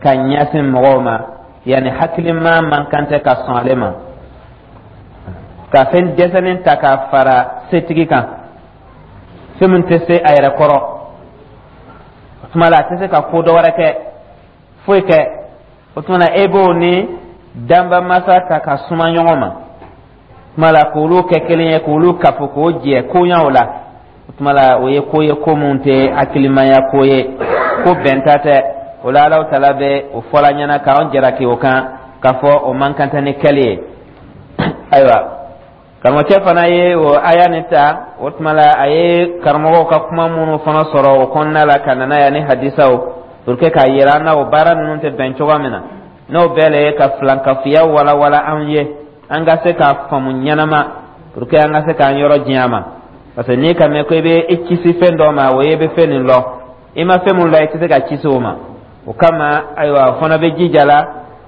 Ka ɲɛsin mɔgɔw ma, yanni hakilima man kan tɛ ka sɔn ale ma ka fɛn dɛsɛlen ta ka fara setigi kan, fɛn min tɛ se a yɛrɛ kɔrɔ. O tuma la, a tɛ se ka ko dɔ wɛrɛ kɛ, foyi kɛ. O tuma na, e b'o ni danbamasa ta ka suma ɲɔgɔn ma. O tuma la, k'olu kɛ kelen ye, k'olu kafo, k'o jɛ koɲaw la, o tuma la, o ye ko ye, ko mun tɛ hakilimaya ko ye, ko bɛnta tɛ. O la, Alahu Taala bɛ o fɔla ɲɛna k'an jalaki o kan, k'a fɔ o man kan tɛ ni kɛli ye. Ayiwa, karamɔgɔcɛ fana ye o aya nin ta. O tuma la, a ye karamɔgɔw ka kuma minnu fana sɔrɔ o kɔnɔna la ka na n'a ye ani hadisaw, pour que k'a yira an na o baara ninnu tɛ bɛn cogoya min na. N'o bɛɛ le ye ka filankafoya walawala an ye, an ka se k'a faamu ɲɛnama, pour que an ka se k'an yɔrɔ diɲɛ a ma. Parce que n'i ka mɛn ko i bɛ i kisi fɛn dɔ ma, o ye i bɛ fɛn nin lɔ. I ma fɛn mun lɔ, i tɛ se ka kisi o ma. O kama, ayiwa, o fana bɛ jija la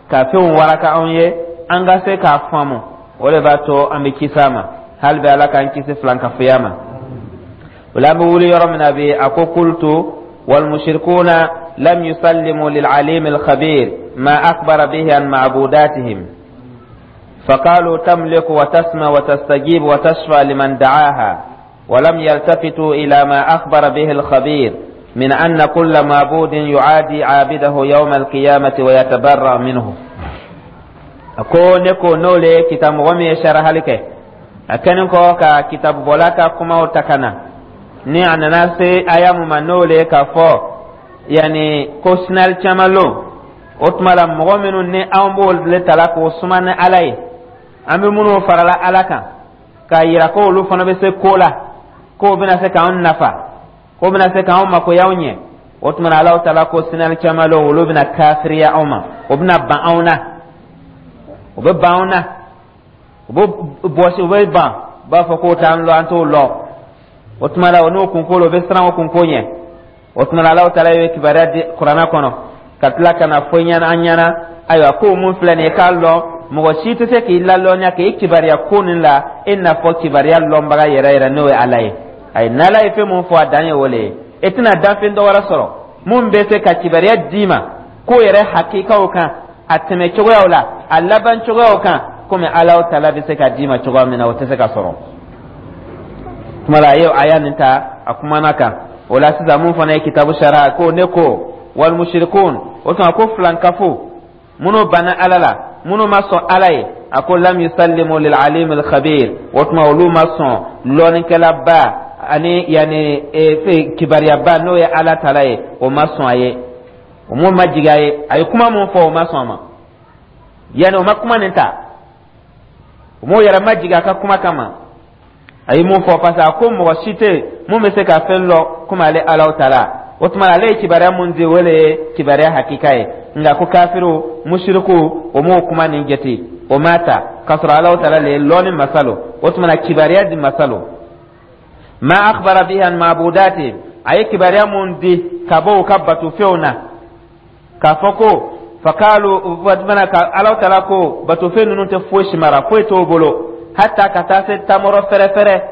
ka fɛnw waraka anw ye, an ka se k'a faamu. O de b'a to an bɛ kisi a ma. Hali bɛ Ala k'an kisi filankafoya ma. O la, an bɛ wuli yɔrɔ min na bi, a ko: قلت والمشركون لم يسلموا للعليم الخبير ما أخبر به عن معبوداتهم، فقالوا تملك وتسمع وتستجيب وتشفع لمن دعاها، ولم يلتفتوا إلى ما أخبر به الخبير من أن كل معبود يعادي عابده يوم القيامة ويتبرأ منه. Ko ne ko n'o le kitabu mɔgɔ min ye sarahali kɛ, a kɛlen kɔ ka kitabu bɔla ka kumaw ta ka na ni a nana se aya mun ma, n'o le k'a fɔ yanni ko sinali caman lon. O tuma la, mɔgɔ minnu ni anw b'o le tala k'o suma ni Ala ye, an bɛ minnu farala Ala kan k'a yira ko olu fana bɛ se ko la, k'o bɛna se k'anw nafa, k'o bɛna se k'anw makoyaw ɲɛ, o tuma na, Alahu Taala ko sinali caman lon, olu bɛna kafiriya anw ma, o bɛna ban anw na, o bɛ ban anw na, u bɛ bɔsi, u bɛ ban, u b'a fɔ k'o t'an lɔ, an t'o lɔ. O tuma la, o n'o kunko la, o bɛ siran o kunko ɲɛ. O tuma na, Alahu Taala ye kibaruya di Kuranɛ kɔnɔ ka tila ka na fɔ ɲɛna an ɲɛna. Ayiwa, ko mun filɛ nin ye, k'a lɔn mɔgɔ si tɛ se k'i lalɔnniya k'i kibaruya ko nin la e n'a fɔ kibaruya lɔnbaga yɛrɛ yɛrɛ, n'o ye Ala ye. Ayi, n'Ala ye fɛn mun fɔ, a dan ye o le ye. E tɛna danfɛn dɔ wɛrɛ sɔrɔ mun bɛ se ka kibaruya d'i ma ko yɛrɛ hakikaw kan, a tɛmɛ cogoyaw la, a laban cogoyaw kan, komi Alahu Taala bɛ se ka d'i ma cogoya min na, o tɛ se ka sɔrɔ. Tuma la, a ye aya nin ta, a kumana kan o la. Sisan, mun fana ye kitabu sara ko ne ko والمشركون, o tuma ko filankafo minnu banna Ala la, minnu ma sɔn Ala ye, a ko لم يسلموا للعليم الخبير. O tuma, olu ma sɔn lɔnnikɛlaba ani yanni kibaruyaba, n'o ye Ala tala ye, o ma sɔn a ye, o m'o ma jigin a ye. A ye kuma mun fɔ, o ma sɔn a ma, yanni o ma kuma nin ta, o m'o yɛrɛ ma jigin a ka kuma kama a ye mun fɔ, parce que a ko mɔgɔ si tɛ mun bɛ se ka fɛn lɔ komi ale Alahu Taala. O tuma, ale ye kibaruya mun di, o le ye kibaruya hakika ye. Nka ko kafiriw, musiriku, o m'o kuma nin jate, o m'a ta, k'a sɔrɔ Alahu Taala le ye lɔnni masa lo, o tuma na kibaruya di masa lo. ما أخبر به عن معبوداتهم, a ye kibaruya mun di ka bɔ u ka batofɛnw na, k'a fɔ ko فقالوا mana ka Alahu Taala ko batofɛn ninnu tɛ foyi si mara, foyi t'o bolo, hata ka taa se tamɔrɔ fɛrɛfɛrɛ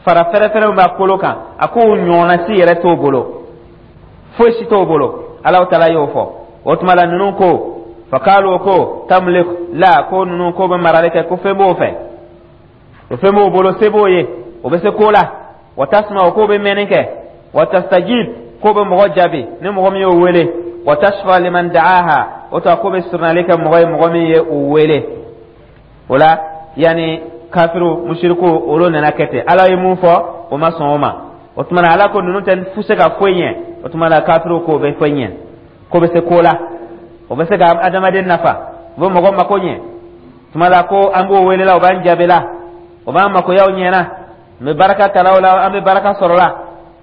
fara fɛrɛfɛrɛ min b'a kolo kan, a k'o ɲɔgɔnna si yɛrɛ t'o bolo, foyi si t'o bolo. Alahu Taala y'o fɔ. O tuma la, ninnu ko فقالوا ko تملك la, ko ninnu ko bɛ marali kɛ, ko fɛn b'o fɛ, o fɛn b'o bolo, se b'o ye, o bɛ se ko la. وتسمع, o k'o bɛ mɛnni kɛ. وتستجيب, k'o bɛ mɔgɔ jaabi ni mɔgɔ min y'o wele. وتشفع لمن دعاها, o tuma k'o bɛ surunali kɛ mɔgɔ ye, mɔgɔ min ye o wele. O la, yanni kafiru, musiriku, olu nana kɛ ten. Ala ye mun fɔ, o ma sɔn o ma. O tuma na, Ala ko ninnu tɛ se ka foyi ɲɛ. O tuma na, kafiru k'o bɛ foyi ɲɛ, k'o bɛ se ko la, o bɛ se ka adamaden nafa, o bɛ mɔgɔ mako ɲɛ. Tuma la, ko an b'o wele la, o b'an jaabi la, o b'an makoyaw ɲɛna, n bɛ baraka talaw la, an bɛ baraka sɔrɔ la,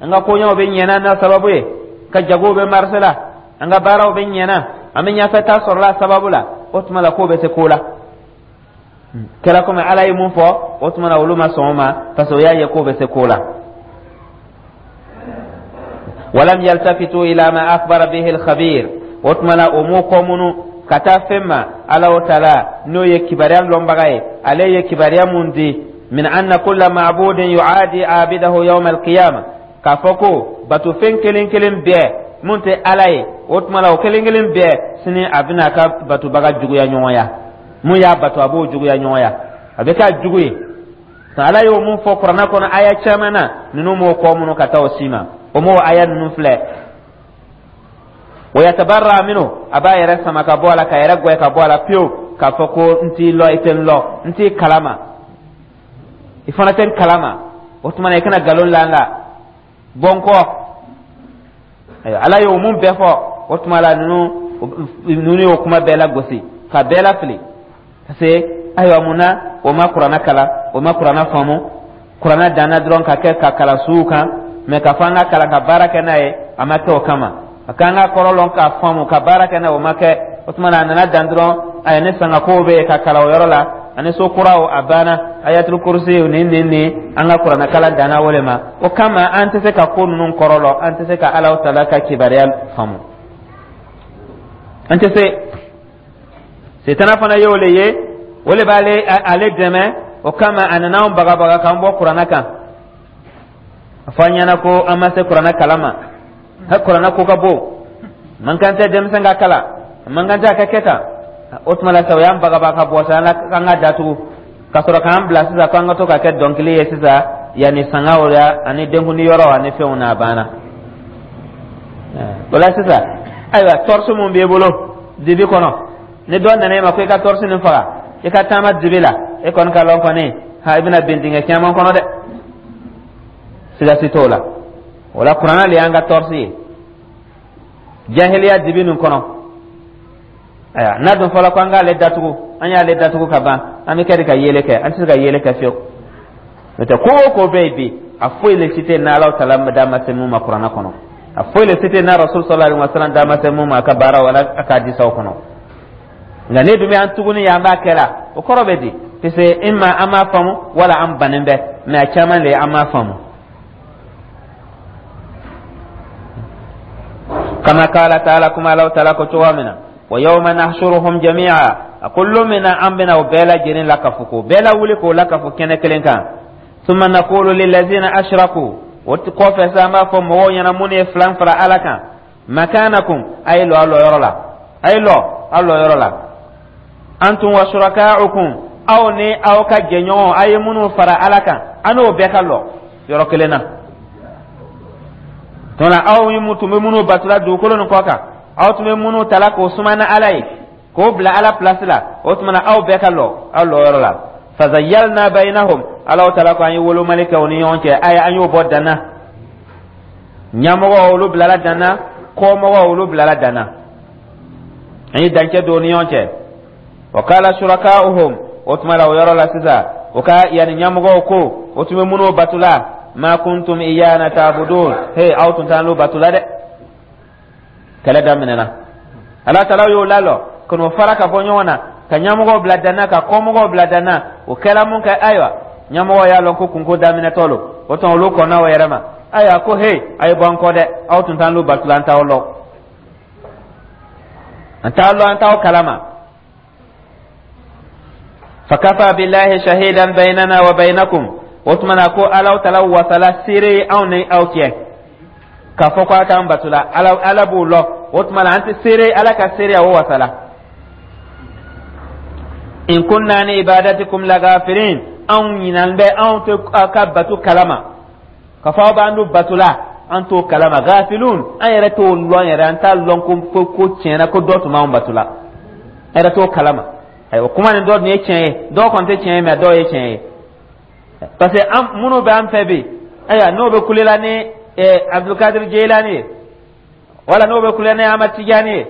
an ka koɲɛw bɛ ɲɛna n'a sababu ye, ka jagow bɛ marché la, an ka baaraw bɛ ɲɛna, an bɛ ɲɛfɛta sɔrɔ la sababu la. O tuma la, k'o bɛ se ko la, kɛra komi Ala ye mun fɔ. O tuma na, olu ma sɔn o ma, parce que o y'a ye k'o bɛ se ko la. ولم يلتفتوا إلى ما أخبر به الخبير, o tuma na, o m'o kɔ munu ka taa fɛn ma Ala Taala n'o ye kibaruya lɔnbaga ye, ale ye kibaruya mun di من أن كل معبود يعادي عابده يوم القيامة, k'a fɔ ko batofɛn kelen kelen bɛɛ Mun tɛ Ala ye, o tuma la o kelen kelen bɛɛ, sini a bɛna a ka batobaga juguya ɲɔgɔnya. Mun y'a bato, a b'o juguya ɲɔgɔnya, a bɛ k'a jugu ye. Ala y'o mun fɔ Kuranɛ kɔnɔ aya caman na, ninnu m'o kɔ minnu ka taa o si ma, o m'o aya ninnu filɛ. Wa yatabarra minhu, a b'a yɛrɛ sama ka bɔ a la, ka yɛrɛ gwɛ ka bɔ a la pewu, k'a fɔ ko n t'i lɔ, i tɛ n lɔ, n t'i kalama, i fana tɛ n kalama. O tuma na i kana nkalon la n la, bɔ n kɔ. Ayiwa, Ala y'o mun bɛɛ fɔ, o tuma la ninnu y'o kuma bɛɛ lagosi ka bɛɛ lafili, parce que ayiwa, mun na o ma Kuranɛ kalan, o ma Kuranɛ faamu? Kuranɛ danna dɔrɔn ka kɛ ka kalan suw kan, mɛ k'a fɔ an ka kalan ka baara kɛ n'a ye, a ma kɛ o kama. A k'an ka kɔrɔ lɔn k'a faamu ka baara kɛ n'a ye, o ma kɛ. O tuma na a nana dan dɔrɔn, ayi, ne sangakow bɛ yen ka kalan o yɔrɔ la, ani so kuraw, a banna. Ayatul kursi nin nin nin, an ka Kuranɛ kalan danna o le ma. O kama an tɛ se ka ko ninnu kɔrɔ lɔn, an tɛ se ka Alahu Taala ka kibaruya faamu, an tɛ se. Setana fana y'o le ye, o le b'ale ale dɛmɛ. O kama a nana anw bagabaga k'an bɔ Kuranɛ kan, a fɔ an ɲɛna ko an ma se Kuranɛ kalan ma, ha, Kuranɛ ko ka bon, man kan tɛ denmisɛn ka kalan, man kan tɛ a ka kɛ tan. O tuma la sa, o y'an bagabaga ka bɔ sa, an ka datugu ka sɔrɔ k'an bila sisan k'an ka to ka kɛ dɔnkili ye sisan, yanni sangaw ya ani denkundi yɔrɔ ani fɛnw na, a banna. O la sisan, ayiwa, tɔrɔsi mun b'i bolo dibi kɔnɔ, ni dɔ nana e ma ko i ka tɔrɔsi nin faga, i ka taama dibi la, e kɔni ka lɔn kɔni, ha, i bɛna bin dingɛ caman kɔnɔ dɛ, siga si t'o la. O la Kuranɛ le y'an ka tɔrɔsi ye jahiliya dibi nin kɔnɔ. Ayiwa, n'a dun fɔra ko an k'ale datugu, an y'ale datugu ka ban, an bɛ kɛ de ka yele kɛ? An tɛ se ka yele kɛ fiyewu. N'o tɛ, ko o ko bɛ yen bi, a foyi le si tɛ n'Ala Taala da ma se mun ma Kuranɛ kɔnɔ, a foyi le si tɛ n'a Rasul sallallahu alaihi wa sallam da ma se mun ma a ka baaraw wala a ka hadisaw kɔnɔ. Nka ne dun bɛ an tuguni yan, an b'a kɛ la, o kɔrɔ bɛ di? Parce que imma an m'a faamu, wala an bannen bɛ, mais a caman le an m'a faamu. Kama qala ta'ala, kuma Alahu Taala ko cogoya min na: wa yawma nahshuruhum jami'a, a ko lon min na an bɛna o bɛɛ lajɛlen lakafo, k'o bɛɛ lawuli, k'o lakafo kɛnɛ kelen kan. Summa naqulu lillazina ashraku, o kɔfɛ sa, an b'a fɔ mɔgɔw ɲɛna minnu ye filan fara Ala kan: makanakum, a ye lɔ aw lɔyɔrɔ la, a ye lɔ aw lɔyɔrɔ la, antum wa shuraka'ukum, aw ni aw ka jɛɲɔgɔnw, a ye minnu fara Ala kan, an n'o bɛɛ ka lɔ yɔrɔ kelen na. Tuma aw ye tun bɛ minnu batula dugukolo nin kɔ kan, aw tun bɛ minnu tala k'o suma ni Ala ye, k'o bila Ala pilasi la, o tuma na aw bɛɛ ka lɔ aw lɔyɔrɔ la. Fazayyalna bainahum, Alahu Taala ko an ye wolomali kɛ u ni ɲɔgɔn cɛ. Ayi, an y'o bɔ danna. Ɲɛmɔgɔ, olu bilala danna, kɔmɔgɔ, olu bilala danna, an ye dancɛ don u ni ɲɔgɔn cɛ. Wa qala shuraka'uhum, o tuma la o yɔrɔ la sisan, o ka yanni ɲɛmɔgɔw ko, o tun bɛ minnu batula: ma kuntum iyana ta'budun, he, aw tun t'an batula dɛ. Kɛlɛ daminɛna. Ala Taala y'o lalɔ ka n'o fara ka bɔ ɲɔgɔn na, ka ɲɛmɔgɔw bila danna, ka kɔmɔgɔw bila danna. O kɛla mun kɛ? Ayiwa, ɲɛmɔgɔ y'a lɔn ko kunko daminɛtɔ lo. O tuma olu kɔnna o yɛrɛ ma. Ayiwa, ko he, a ye bɔ an kɔ dɛ, aw tun t'an batula, an t'aw lɔn, an t'aw lɔn, an t'aw kalama. Fakafa billahi shahidan bainana wa bainakum, o tuma na ko Alaw Tala wasala seere ye anw ni aw cɛ, k'a fɔ ko a k'an batula, Ala, Ala b'o lɔn. O tuma na an tɛ seere, Ala ka seereya o wasala. In kunna an ibadatikum lagafilin, anw ɲinan bɛ, anw tɛ aw ka batu kalama, k'a fɔ aw b'an dun batula, an t'o kalama. Gafilun, an yɛrɛ t'o lɔn yɛrɛ, an t'a lɔn ko tiɲɛna ko dɔ tun b'anw batula, an yɛrɛ t'o kalama. Ayiwa, kuma nin dɔ dun ye tiɲɛ ye, dɔw kɔni tɛ tiɲɛ ye, mɛ dɔw ye tiɲɛ ye, parce que an minnu bɛ an fɛ bi, ayiwa, n'o bɛ kulela ni Abdulkadir Jeyilani ye, wala n'o bɛ kulela ni Ahmad Tijani ye,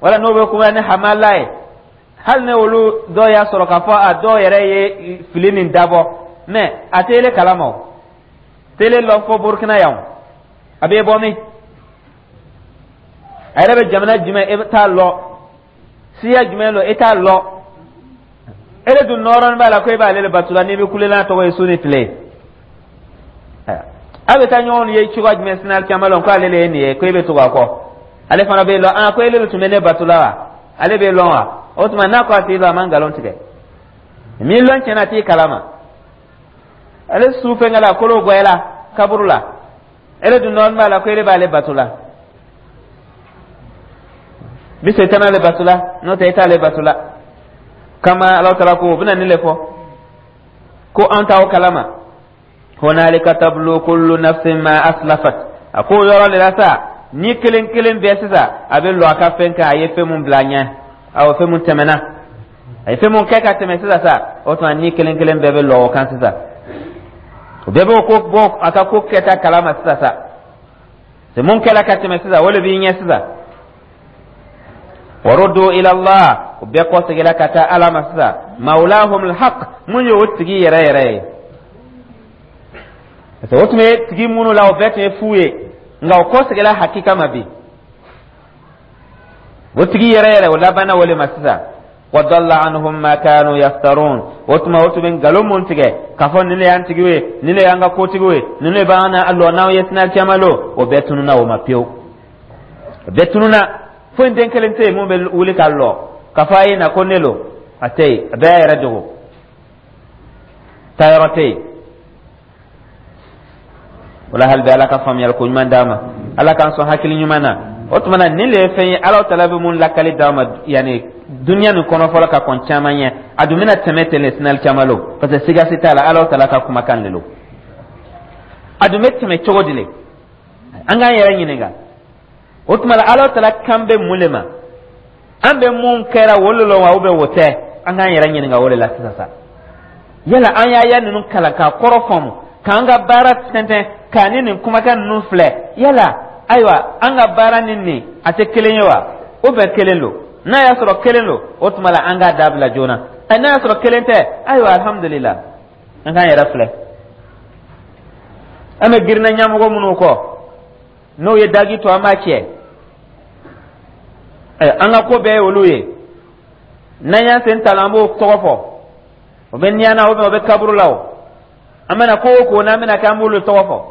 wala n'o bɛ kulela ni Hamala ye, hali ni olu dɔw y'a sɔrɔ k'a fɔ a dɔw yɛrɛ ye fili nin dabɔ, mɛ a tɛ ele kalama, o tɛ ele lɔn fo Burukina yan. A bɛ bɔ min, a yɛrɛ bɛ jamana jumɛn, e t'a lɔn, siya jumɛn don, e t'a lɔn. Ele dun nɔrɔnin b'a la ko e b'ale le batula, n'i bɛ kulela n'a tɔgɔ ye su ni tile, a bɛ taa ɲɔgɔn ye cogoya jumɛn sini alikiyama lɔn ko ale le ye nin ye, ko e bɛ tugu a kɔ? Ale fana bɛ lɔn, ah, ko ele de tun bɛ ne batula wa? Ale bɛ lɔn wa? O tuma n'a ko a t'i lɔn, a ma nkalon tigɛ. Min lɔn tiɲɛna, a t'i kalama. Ale su fɛnkɛ la, kolo gwɛla kaburu la, ele dun nɔrɔnin b'a la ko ele b'ale batula. Bi setana le batula, n'o tɛ i t'ale batula. Kama Alahu Taala ko o bɛna nin le fɔ ko an t'aw kalama. Hunalika tablu kullu nafsin ma aslafat. A ko yɔrɔ le la sa, ni kelen kelen bɛɛ sisan a bɛ lɔ a ka fɛn kan, a ye fɛn mun bila a ɲɛ, awɔ, fɛn mun tɛmɛna, a ye fɛn mun kɛ ka tɛmɛ sisan sa, o tuma ni kelen kelen bɛɛ bɛ lɔ o kan sisan. O bɛɛ b'o ko bɔ a ka ko kɛta kalama sisan sa. Se mun kɛla ka tɛmɛ sisan, o le b'i ɲɛ sisan. Waruddu ila Allah, o bɛɛ kɔseginna ka taa Ala ma sisan, mawlahum alhaq, mun ye o tigi yɛrɛ yɛrɛ ye. Parce que o tun bɛ tigi minnu la, o bɛɛ tun ye fu ye, nka o kɔseginna hakika ma bi. O tigi yɛrɛ yɛrɛ, o labanna o le ma sisan. Wa dalla anhum ma kanu yaftarun. O tuma o tun bɛ nkalon mun tigɛ k'a fɔ nin de y'an tigiw ye, nin de y'an ka kotigiw ye, nin de b'an na lɔ n'anw ye sini alikiyama lon, o bɛɛ tununna o ma pewu, o bɛɛ tununna. Foyi den kelen tɛ yen mun bɛ wuli ka lɔ k'a fɔ a ye na ko ne lo, a tɛ yen. A bɛɛ y'a yɛrɛ dogo, taayɔrɔ tɛ yen. O la, hali bi Ala ka faamuyali ko ɲuman d'an ma, Ala k'an sɔn hakili ɲuman na. O tuma na, nin le ye fɛn ye Ala Taala bɛ mun lakali d'an ma yanni duniya nin kɔnɔ fɔlɔ ka kɔn caman ɲɛ. A dun bɛna tɛmɛ ten le sinali caman lo, parce que siga si t'a la, Ala Taala ka kumakan de lo. A dun bɛ tɛmɛ cogo di le? An k'an yɛrɛ ɲininka. O tuma la, Ala Taala kan bɛ mun le ma? An bɛ mun kɛra o le la wa, ou bien o tɛ? An k'an yɛrɛ ɲininka o de la sisan sa. Yala an y'a ya ninnu kalan k'a kɔrɔ faamu, k'an ka baara tɛntɛn k'a ni nin kumakan ninnu filɛ, yala ayiwa an ka baara ni nin a tɛ kelen ye wa, ou bien kelen don? N'a y'a sɔrɔ kelen don, o tuma la an k'a dabila joona. N'a y'a sɔrɔ kelen tɛ, ayiwa, alhamdulila. An k'an yɛrɛ filɛ. An bɛ girinna ɲɛmɔgɔ minnu kɔ, n'o ye dagi to, an b'a cɛ. An ka ko bɛɛ ye olu ye. N'an y'an sen ta la, an b'o tɔgɔ fɔ. O bɛ niyan na, o bɛ kaburu la. O an bɛna ko o ko n'an bɛna kɛ, an b'olu tɔgɔ fɔ,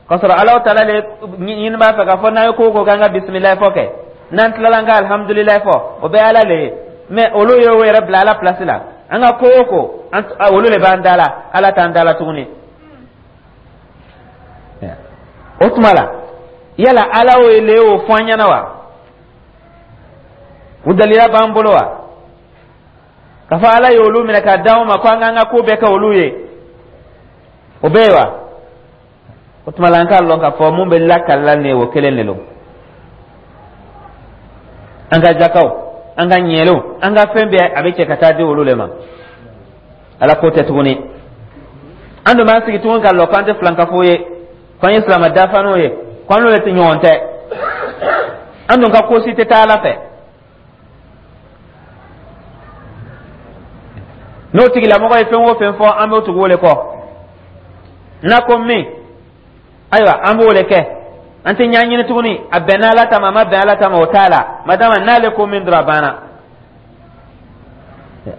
k'a sɔrɔ Alahu Taala le ɲini b'a fɛ k'a fɔ n'an ye ko o ko k'an ka bisimilayi fɔ kɛ, n'an tilala an ka alihamudulilayi fɔ, o bɛɛ Ala le ye. Mɛ olu ye o yɛrɛ bila Ala pilasi la. An ka ko o ko, olu le b'an da la, Ala t'an da la tuguni. O tuma la, yala Ala o le y'o fɔ an ɲɛna wa? O dalila b'an bolo wa, k'a fɔ Ala ye olu minɛ k'a d'anw ma ko an k'an ka ko bɛɛ kɛ olu ye? O bɛ yen wa? O tuma la, an k'a lɔn k'a fɔ mun bɛ lakalila nin ye, o kelen de don. An ka jakaw, an ka ɲɛlenw, an ka fɛn bɛɛ, a bɛ cɛ ka taa di olu le ma. Ala ko tɛ tuguni. An dun b'an sigi tuguni ka lɔ k'an tɛ filankafo ye, k'an ye silamɛ dafaninw ye, k'an n'olu tɛ ɲɔgɔn tɛ. An dun ka ko si tɛ taa Ala fɛ. N'o tigilamɔgɔ ye fɛn o fɛn fɔ, an b'o tugu o le kɔ. N'a ko min, ayiwa, an b'o le kɛ. An tɛ ɲɛɲini tuguni a bɛnna Ala ta ma, a ma bɛn Ala ta ma, o t'a la. Madama n'ale ko min dɔrɔn, a banna.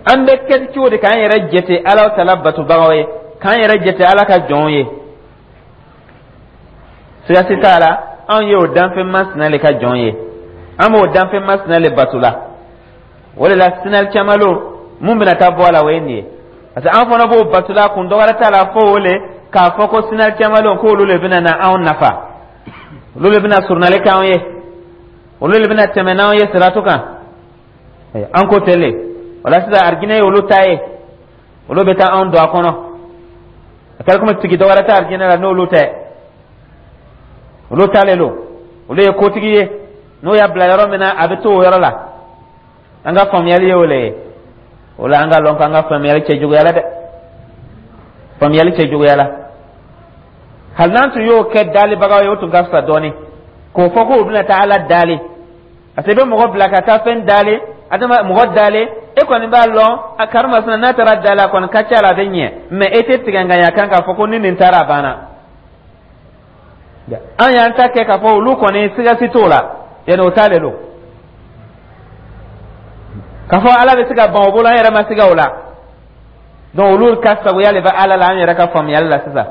An bɛ kɛ cogo di k'an yɛrɛ jate Ala Taala batobagaw ye, k'an yɛrɛ jate Ala ka jɔnw ye? Siga si t'a la, anw ye o danfɛn masina le ka jɔn ye, an b'o danfɛn masina le bato la. O de la, sinali caman lo mun bɛna taa bɔ a la, o ye nin ye, parce que an fana b'o bato la. Kun dɔwɛrɛ t'a la fo o le k'a fɔ ko sinali caman lo, k'olu le bɛna na anw nafa, olu le bɛna surunali k'anw ye, olu le bɛna tɛmɛ n'anw ye siratu kan. An ko ten le. O la sisan, arijinɛ ye olu ta ye, olu bɛ taa anw don a kɔnɔ. A kɛra komi tigi dɔwɛrɛ tɛ arijinɛ la n'olu tɛ. Olu ta le lo, olu ye kotigi ye, n'o y'a bila yɔrɔ min na, a bɛ to o yɔrɔ la. An ka faamuyali ye o le ye. O la, an ka lɔn k'an ka faamuyali cɛjuguyala dɛ, faamuyali cɛjuguyala. Hali n'an tun y'o kɛ daalibagaw ye, o tun ka fisa dɔɔni k'o fɔ k'o bɛna taa Ala daali, parce que i bɛ mɔgɔ bila ka taa fɛn daali, adama mɔgɔ daali, e kɔni b'a lɔn a karimasina n'a taara daali, a kɔni ka ca la a bɛ ɲɛ. Mɛ e tɛ tigɛ ŋaɲa kan k'a fɔ ko ni nin taara, a banna. An y'an ta kɛ k'a fɔ olu kɔni siga si t'o la, yanni o ta le don k'a fɔ Ala bɛ se ka ban o bolo, an yɛrɛ ma siga o la. Donc olu ka sagoya le bɛ Ala la, an yɛrɛ ka faamuyali la sisan.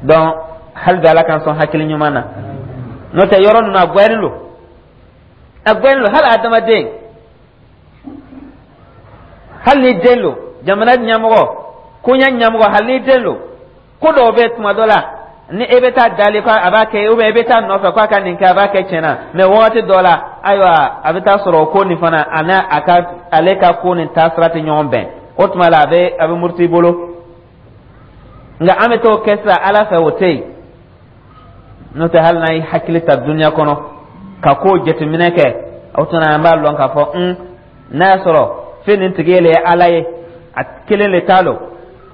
Donc hali bi Ala k'an sɔn hakili ɲuman na. N'o tɛ, yɔrɔ ninnu a gwɛrin lo, a gwɛrin lo. Hali adamaden, hali ni den lo, jamana ɲɛmɔgɔ, koɲɛ ɲɛmɔgɔ, hali ni den lo, ko dɔw bɛ tuma dɔ la Ni e bɛ taa dali ko a b'a kɛ, ou bien e bɛ taa nɔfɛ k'a ka nin kɛ, a b'a kɛ tiɲɛ na. Mais wagati dɔ la, ayiwa, a bɛ taa sɔrɔ o ko nin fana, a n'a a ka ale ka ko nin taasira tɛ ɲɔgɔn bɛn. O tuma la, a bɛ muruti i bolo. Nka an bɛ t'o kɛ sisan Ala fɛ, o tɛ yen. N'o tɛ, hali n'an ye hakili ta duniya kɔnɔ ka ko jateminɛ kɛ, o tuma an b'a lɔn k'a fɔ n'a y'a sɔrɔ fɛn nin tigi le ye Ala ye, a kelen le t'a lo.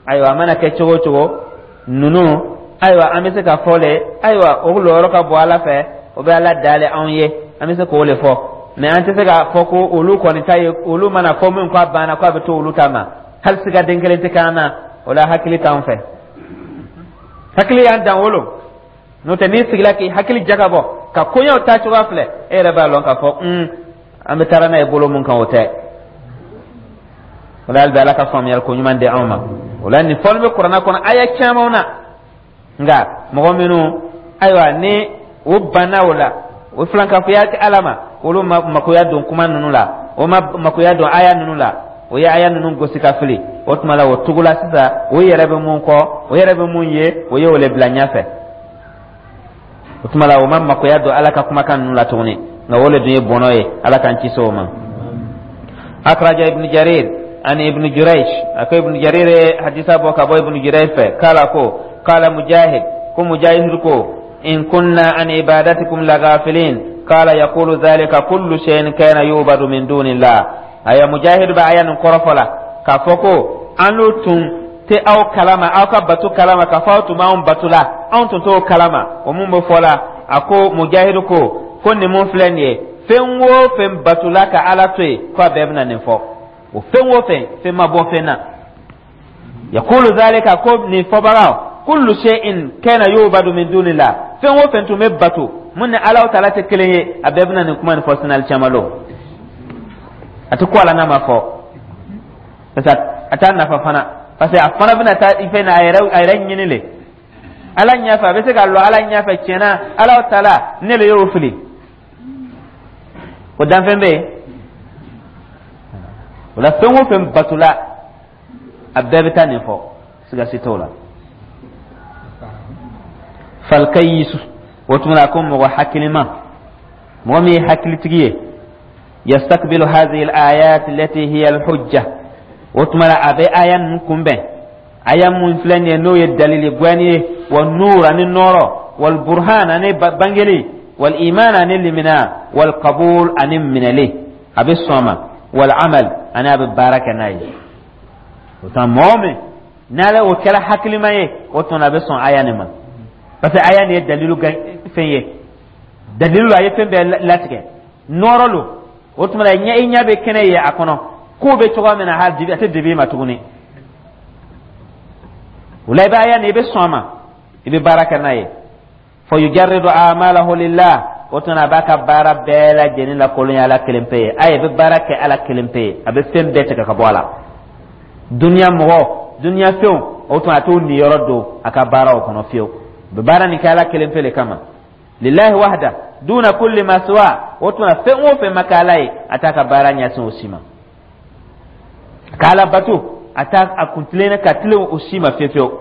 Ayiwa, a mana kɛ cogo o cogo, ninnu, ayiwa, an bɛ se ka fɔ le, ayiwa, o lɔyɔrɔ ka bɔ Ala fɛ, o bɛ Ala dalen anw ye, an bɛ se k'o le fɔ. Mais an tɛ se k'a fɔ ko olu kɔni ta ye, olu mana fɔ min k'a banna, k'a bɛ to olu ta ma. Hali siga den kelen tɛ k'an na o la. Hakili t'an fɛ, hakili y'an dan wolo. N'o tɛ, n'i sigila k'i hakili jagabɔ ka koɲɛw taa cogoya filɛ, e yɛrɛ b'a lɔn k'a fɔ an bɛ taara n'a ye bolo mun kan, o tɛ. O la, hali bi, Ala ka faamuyali ko ɲuman di anw ma. O la, nin fɔli bɛ Kuranɛ kɔnɔ aya caman na. Nka mɔgɔ minnu, ayiwa, ni o banna o la, o filankafoya tɛ Ala ma, olu ma makoya don kuma ninnu la, o ma makoya don aya ninnu la, o ye aya ninnu gosi ka fili. O tuma la, o tugula sisan o yɛrɛ bɛ mun kɔ, o yɛrɛ bɛ mun ye, o ye o le bila ɲɛfɛ. O tuma la, o ma makoya don Ala ka kumakan ninnu la tuguni. Nka o le dun ye bɔnɔ ye. Ala k'an kisi o ma. Akraja Ibn Jarir an Ibn Jurayj. A ko Ibn Jarir ye hadisa bɔ ka bɔ Ibn Jurayj fɛ k'ala ko qala Mujahid, ko Mujahid ko: in kunna an ibadatikum lagafilin. Qala yaqulu dhalika kullu shay'in kana yubadu min dunillah. Aya Mujahid ba aya nin kɔrɔfɔ la k'a fɔ ko an n'u tun tɛ aw kalama, aw ka bato kalama, k'a fɔ aw tun b'anw bato la, anw tun t'o kalama. O mun bɛ fɔ la? A ko Mujahid ko nin mun filɛ nin ye, fɛn o fɛn batola ka Ala to yen, ko a bɛɛ bɛna nin fɔ. O fɛn o fɛn, fɛn ma bɔ fɛn na. Yaqulu zalika, ko nin fɔbagaw, kullu shay'in kana yubadu min dunillah, fɛn o fɛn tun bɛ bato mun ni Ala taala tɛ kelen ye, a bɛɛ bɛna nin kuma nin fɔ sinali caman lo. A tɛ ko ala n'a ma fɔ, parce que a t'a nafa fana, parce que a fana bɛna taa i fɛn na, a yɛrɛ ɲini le Ala ɲɛfɛ. A bɛ se ka lɔ Ala ɲɛfɛ tiɲɛna, Ala taala, ne le y'o fili. O danfɛn bɛ yen o la. Fɛn o fɛn batola, a bɛɛ bɛ taa nin fɔ, siga si t'o la. Falkayisu, o tuma na, ko mɔgɔ hakilima, mɔgɔ min ye hakilitigi ye, yastakbilu hadhihi al-ayat allati hiya al-hujja. O tuma na, a bɛ aya ninnu kunbɛn, aya mun filɛ nin ye, n'o ye dalili gwɛni ye, wa nur, ani nɔɔrɔ, wal burhan, ani bangeli, wal iman, ani limina, wal qabul, ani minɛli, a bɛ sɔn a ma, wal amal, ani a bɛ baara kɛ n'a ye. O tuma, mɔgɔ min n'ale o kɛra hakilima ye, o tuma a bɛ sɔn aya nin ma, parce que aya nin ye dalilu fɛn ye, dalilu a ye fɛn bɛɛ latigɛ, nɔɔrɔ lo. O tuma la, i ɲɛ bɛ kɛnɛ ye a kɔnɔ, ko bɛ cogoya min na, hali a tɛ dibi ma tuguni. O la, i bɛ aya nin, i bɛ sɔn a ma, i bɛ baara kɛ n'a ye. Fa yujarridu amalahu lillah. O tuma, a b'a ka baara bɛɛ lajɛlen lakolonya Ala kelen pe ye. A ye bɛ baara kɛ Ala kelen pe ye, a bɛ fɛn bɛɛ tigɛ ka bɔ a la, duniya mɔgɔ, duniya fɛnw. O tuma, a t'o niyɔrɔ don a ka baaraw kɔnɔ fiyewu. A bɛ baara nin kɛ Ala kelen pe le kama, lillahi wahda duna kulli ma siwa. O tuma, fɛn o fɛn ma kɛ Ala ye, a t'a ka baara ɲɛsin o si ma. Ka Ala bato, a t'a a kun tilen ka tilen o si ma fiyewu fiyewu.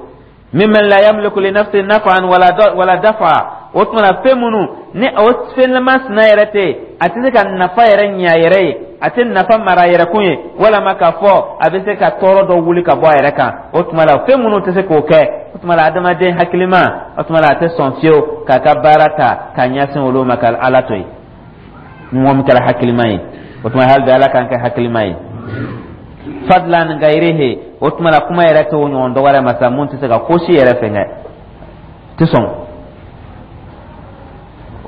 Mimman la yamliku li nafsi naf'an wala dafa. O tuma na, fɛn minnu ni o fɛn masina yɛrɛ tɛ yen, a tɛ se ka nafa yɛrɛ ɲɛ a yɛrɛ ye, a tɛ nafa mara a yɛrɛ kun ye, walama k'a fɔ a bɛ se ka tɔɔrɔ dɔ wuli ka bɔ a yɛrɛ kan. O tuma la, fɛn minnu tɛ se k'o kɛ, o tuma la, adamaden hakilima, o tuma la, a tɛ sɔn fiyewu k'a ka baara ta k'a ɲɛsin olu ma ka Ala to yen. Ni mɔgɔ min kɛra hakilima ye, o tuma, hali bi, Ala k'an kɛ hakilima ye. Fadlan gayrihi. O tuma la, kuma yɛrɛ t'o ɲɔgɔn dɔ wɛrɛ ma sa mun tɛ se ka ko si yɛrɛ fɛnkɛ, tɛ sɔn.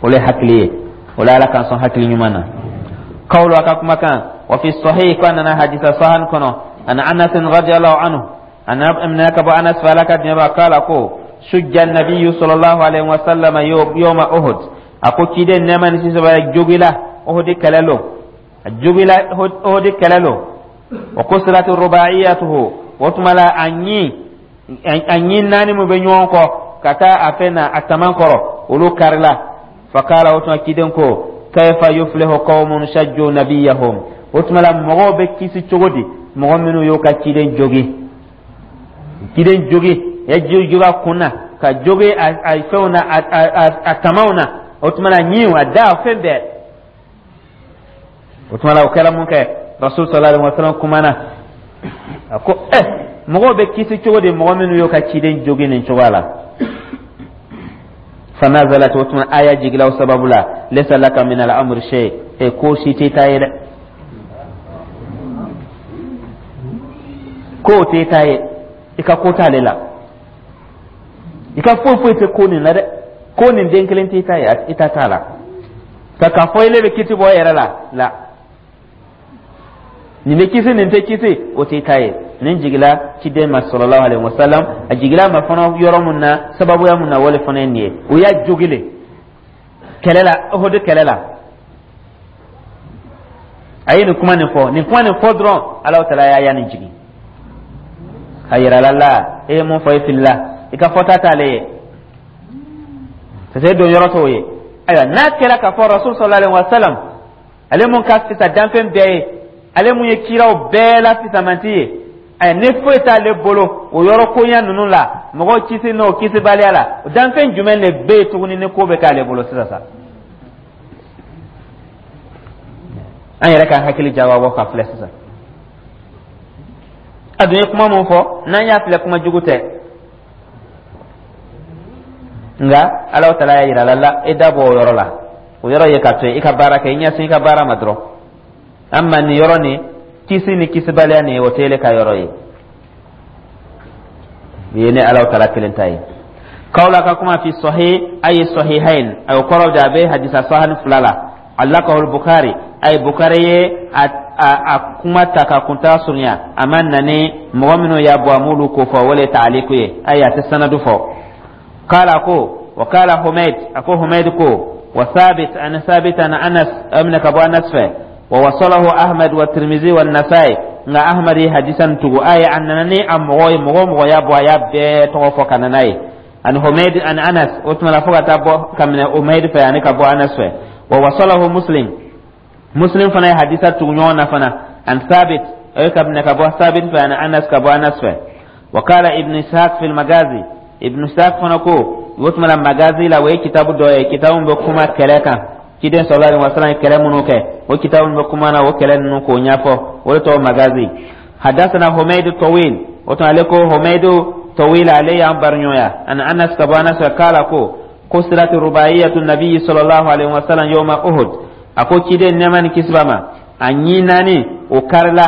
O le hakili ye. O la, Ala k'an sɔn hakili ɲuman na. Kawlo, a ka kumakan, wa fi sahih, ko a nana hadisa sahan kɔnɔ, an Anas radiyallahu anhu, an minɛ ka bɔ Anas fɛ, Ala ka diɲɛ b'a kala, ko sujja nabiyu sallallahu alaihi wa sallam yawma Uhud. A ko ciden, nɛɛma ni kisi b'a, jogila Uhud kɛlɛ lo, a jogila Uhud kɛlɛ lo. Wa kusirat rubaiyatuhu. O tuma la, a ɲi naani mun bɛ ɲɔgɔn kɔ ka taa a fɛn na a taman kɔrɔ, olu karila. Fakala, o tuma ciden ko: kayfa yuflihu qawmun shajju nabiyahum? O tuma la, mɔgɔw bɛ kisi cogo di, mɔgɔ minnu y'o ka ciden jogi, ciden jogi, ya jogi a kun na? Ka jogi a fɛnw na, a tamaw na, o tuma na ɲinw, a da, fɛn bɛɛ. O tuma la, o kɛra mun kɛ, Rasul sallallahu alaihi wasallam kumana, a ko: "Ɛ, mɔgɔw bɛ kisi cogo di, mɔgɔ minnu y'o ka ciden jogi nin cogoya la?" Fanazalat, o tuma aya jigila o sababu la: "Laysa laka min al-amri shay." E, ko si t'i ta ye dɛ, ko t'i ta ye, i ka ko t'ale la, i ka foyi foyi tɛ ko nin la dɛ. Ko nin den kelen t'i ta ye, i ta t'a la. Ka k'a fɔ ile bɛ kiti bɔ i yɛrɛ la la, nin bɛ kisi, nin tɛ kisi, o t'i ta ye. Nin jigila ciden ma sallallahu alaihi wasallam. A jigila ma fana yɔrɔ mun na, sababuya mun na, o le fana ye nin ye. O y'a jogi le kɛlɛ la, Uhud kɛlɛ la. A ye nin kuma nin fɔ, nin kuma nin fɔ dɔrɔn, Alahu taala y'a ya nin jigin a yira la la: "E ye mun fɔ, e filila, i ka fɔta t'ale ye, parce que e don yɔrɔ t'o ye." Ayiwa, n'a kɛra k'a fɔ Rasul sallallahu alaihi wa sallam, ale mun ka fisa danfɛn bɛɛ ye, ale mun ye kiraw bɛɛ la fisamanti ye, ayi, ni foyi t'ale bolo o yɔrɔ koɲa ninnu la, mɔgɔw kisi n'o kisibaliya la, danfɛn jumɛn de bɛ yen tuguni ni ko bɛ k'ale bolo sisan sa? An yɛrɛ ka hakili jagabɔ ka filɛ sisan. A dun ye kuma mun fɔ, n'an y'a filɛ, kuma jugu tɛ, nka Alahu taala y'a yira la la: "E da bɔ o yɔrɔ la, o yɔrɔ ye ka to yen, i ka baara kɛ, i ɲɛsin i ka baara ma dɔrɔn. Amma nin yɔrɔ nin, kisi ni kisibaliya nin, o tɛ ele ka yɔrɔ ye, nin ye ne Alahu taala kelen ta ye." Kawla ka kuma fi sahih, ay sahihain, ay kɔrɔ de a bɛ hadisa sahani fila la. Allakahu Bukhari, ay Bukhari ye a kuma ta ka kunta surunya, a ma nani mɔgɔ minnu y'a bɔ, a m'olu ko fɔ, o le taaliku ye, ayi, a tɛ sanadu fɔ. Kala ko wa kala Humayd, a ko Humayd ko wa Sabit an Sabit an Anas, amina ka bɔ Anas fɛ. Wa wasalahu Ahmad wa Tirmizi wa Nasai, nka Ahmad ye hadisa nin tugu, ayi, a nana ni a mɔgɔ ye, mɔgɔ o mɔgɔ y'a bɔ, a y'a bɛɛ tɔgɔ fɔ ka na n'a ye. An Humayd an Anas, o tuma la fo ka taa bɔ ka minɛ Humayd fɛ ani ka bɔ Anas fɛ. Wa wasalahu Muslim, Muslim fana ye hadisa tugu ɲɔgɔn na fana, an Sabit, o ye ka minɛ ka bɔ Sabit fɛ, ani Anas, ka bɔ Anas fɛ. Wa kala Ibn Ishaq fil Magazi, Ibn Ishaq fana ko o tuma la Magazi la, o ye kitabu dɔ ye, kitabu bɛ kuma kɛlɛ kan, ciden sallallahu alaihi wasallam ye kɛlɛ minnu kɛ, o kitabu bɛ kuma na o kɛlɛ ninnu k'o ɲɛfɔ, o de tɔgɔ Magazi. Hadathana Humayd Tawil, o tuma ale ko Humayd Tawil, ale y'an bariɲɔgɔnya, an Anas, ka bɔ Anas fɛ, kala ko kusirat rubaiyatu nabiyyi sallallahu alaihi wasallam yawma Uhud, a ko ciden, nɛɛma ni kisi b'a ma, a ɲin naani o karila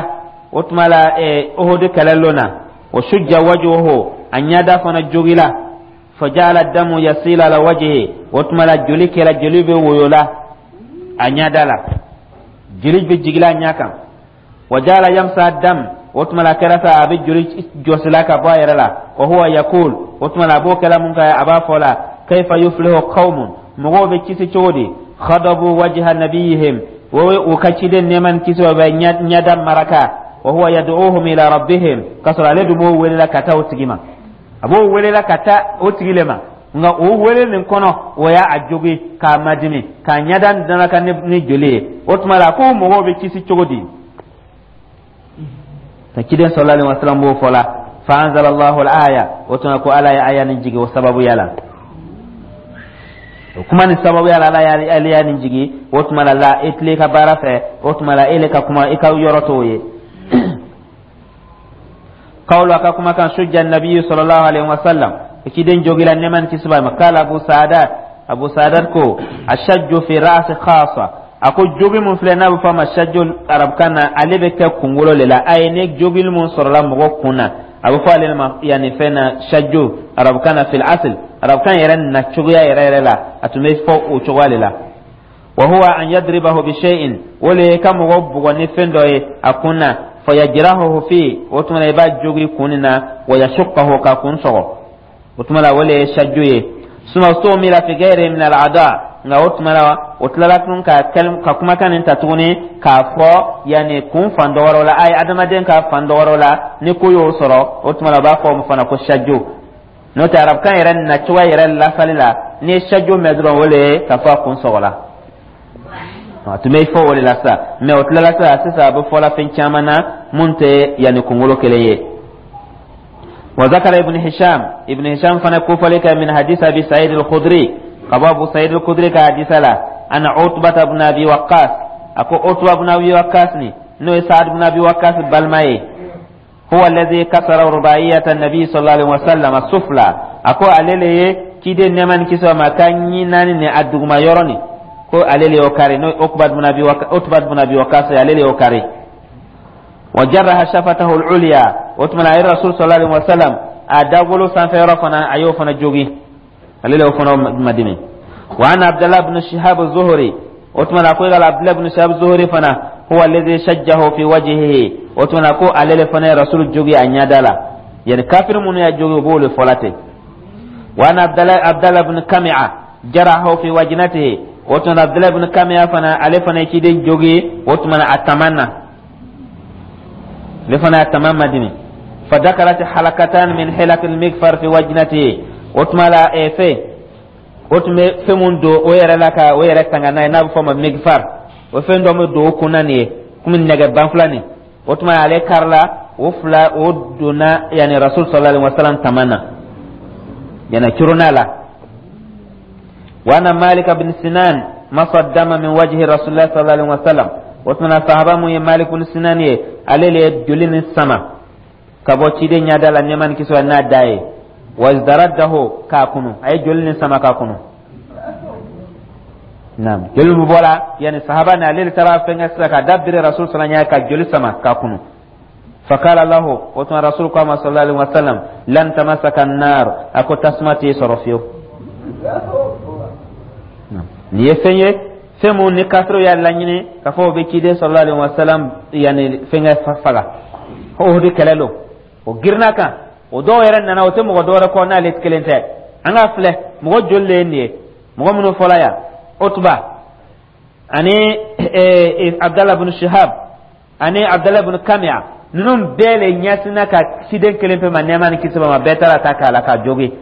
o tuma la Uhud kɛlɛ lon na. Wa shujja wajhuhu, a ɲɛda fana jogila. Fajala damu yasila ala wajhi, o tuma la joli kɛra, joli bɛ woyo la a ɲɛda la, joli bɛ jigila a ɲɛ kan. Wa jala yamsa dam, o tuma la kɛra sa a bɛ joli jɔsila ka bɔ a yɛrɛ la. Wa huwa yakul, o tuma la a b'o kɛla mun kɛ, a b'a fɔ la: "Kayfa yuflihu qaumun", mɔgɔw bɛ kisi cogo di? "Khadabu wajha nabiyihim", o ka ciden, nɛɛma ni kisi bɛ ɲɛda maraka. Wa huwa yad'uhum ila rabbihim, k'a sɔrɔ ale dun b'o welela ka taa o tigi ma, a b'o welela ka taa o tigi le ma. Nka o wele nin kɔnɔ, o y'a a jogi k'a madimi k'a ɲɛda daraka ni joli ye. O tuma la ko mɔgɔw bɛ kisi cogo di ka ciden sallallahu alaihi wasallam b'o fɔ la? Fa anzala Allahu al-aya, o tuma ko Ala ye aya nin jigi o sababuya la, o kuma nin sababuya la, Ala y'a nin jigi. O tuma la la e tile ka baara fɛ, o tuma la e le ka kuma, i ka yɔrɔ t'o ye. Kawlu, a ka kuma kan: sujja nabiyyu sallallahu alaihi wasallam, ciden jogila, nɛɛma ni kisi b'a ma. Kala Abu Saadat, Abu Saadat ko ashajju fi ra'si khasa, a ko jogi mun filɛ n'a bɛ fɔ a ma shajju arabukan na, ale bɛ kɛ kunkolo le la. A ye ni jogili mun sɔrɔla mɔgɔ kun na, a bɛ fɔ ale ma yanni fɛn na shajju arabukan na. Fil asl, arabukan yɛrɛ na cogoya yɛrɛ yɛrɛ la, a tun bɛ fɔ o cogoya de la. Wa huwa an yadribahu bi shay'in, o le ye ka mɔgɔ bugɔ ni fɛn dɔ ye a kun na. Fa yajrahuhu fi, o tuma la i b'a jogi kun nin na. Wa yashuqqahu, ka kun sɔgɔ, o tuma la o le ye shajju ye. Suma stumila fi ghairi min al-a'da, nka o tuma la o tilala tun ka kumakan nin ta tuguni k'a fɔ yanni kun fan dɔ wɛrɛw la, ayi, adamaden ka fan dɔ wɛrɛw la, ni ko y'o sɔrɔ, o tuma la u b'a fɔ o fana ko shajju. N'o tɛ, arabukan yɛrɛ nacogoya yɛrɛ lasali la, n'i ye shajju mɛn dɔrɔn, o le ye k'a fɔ a kun sɔgɔla, a tun bɛ fɔ o de la sa. Mɛ o tilala sa sisan, a bɛ fɔla fɛn caman na mun tɛ yanni kunkolo kelen ye. Wa zakara Ibn Hisham, Ibn Hisham fana kofɔli kɛ min hadith Abi Sa'id al-Khudri, ka bɔ Abu Sa'id al-Khudri ka hadisa la, anna Utba ibn Abi Waqqas, a ko Utba ibn Abi Waqqas ni, n'o ye Sa'ad ibn Abi Waqqas balima ye, huwa alladhi kasara rubaiyata nabi sallallahu alaihi wasallam sufla, a ko ale le ye ciden, nɛɛma ni kisi ma, ka ɲi naani ni a duguma yɔrɔ nin, ko ale le y'o kari, n'o ye Utba ibn Abi Waqqas, ale le y'o kari. Wa jarraha shafatahu al-ulya, o tuma na a ye Rasul sallallahu alaihi wasallam a dagolo sanfɛ yɔrɔ fana, a y'o fana jogin, ale le y'o fana madimi. Wa anna Abdallah ibn Shihab az-Zuhri, o tuma na ko yala Abdallah ibn Shihab az-Zuhri fana, huwa alladhi shajjahu fi wajhihi, o tuma na ko ale le fana ye Rasul jogi a ɲɛda la, yani kafir minnu y'a jogi, o b'o le fɔla ten. Wa anna Abdallah ibn Kami'a jarahu fi wajnatihi, o tuma na Abdallah ibn Kami'a fana, ale fana ye ciden jogi, o tuma na a taman na, ale fana y'a taman madimi. Fadakalat halakatan min hilak al-mikfar fi wajnatihi, o tuma la fɛn o tun bɛ fɛn mun don o yɛrɛ la ka o yɛrɛ tanga n'a ye, n'a bɛ fɔ o ma migfar, o fɛn dɔ bɛ don o kunna nin ye komi nɛgɛ banfula nin, o tuma ale karila o fila, o donna yani Rasul sallallahu alaihi wasallam taman na, yani curuna la. Wa anna Malik bin Sinan masa dama min wajhi Rasulullah sallallahu alaihi wasallam, o tuma sahaba mun ye Malik bin Sinan ye, ale le ye joli nin sama ka bɔ ciden ɲɛda la, nɛɛma ni kisi n'a da ye, wazdaraddahu, k'a kunu, a ye joli nin sama k'a kunu. Naam, joli min bɔra yani sahaba ni ale taara fɛnkɛ sisan ka da biri Rasul sallallahu alaihi ka joli sama k'a kunu. Fakala lahu, o tuma Rasul ko a ma sallallahu alaihi wasallam: lan tamassaka an-nar, a ko tasuma t'i sɔrɔ fiyewu. Nin ye fɛn ye, fɛn mun ni kafiriw y'a laɲini k'a fɔ o bɛ ciden sallallahu alaihi wasallam yani fɛnkɛ faga Uhud kɛlɛ lo, o girinna kan, o dɔw yɛrɛ nana, o tɛ mɔgɔ dɔwɛrɛ kɔ n'ale kelen tɛ. An ka filɛ, mɔgɔ joli de ye nin ye? Mɔgɔ minnu fɔla yan, Utba ani Abdallah bin Shihab ani Abdallah bin Kamiya, ninnu bɛɛ le ɲɛsinna ka ciden kelen pe ma, nɛɛma ni kisi ma, bɛɛ taara ta k'a la k'a jogi.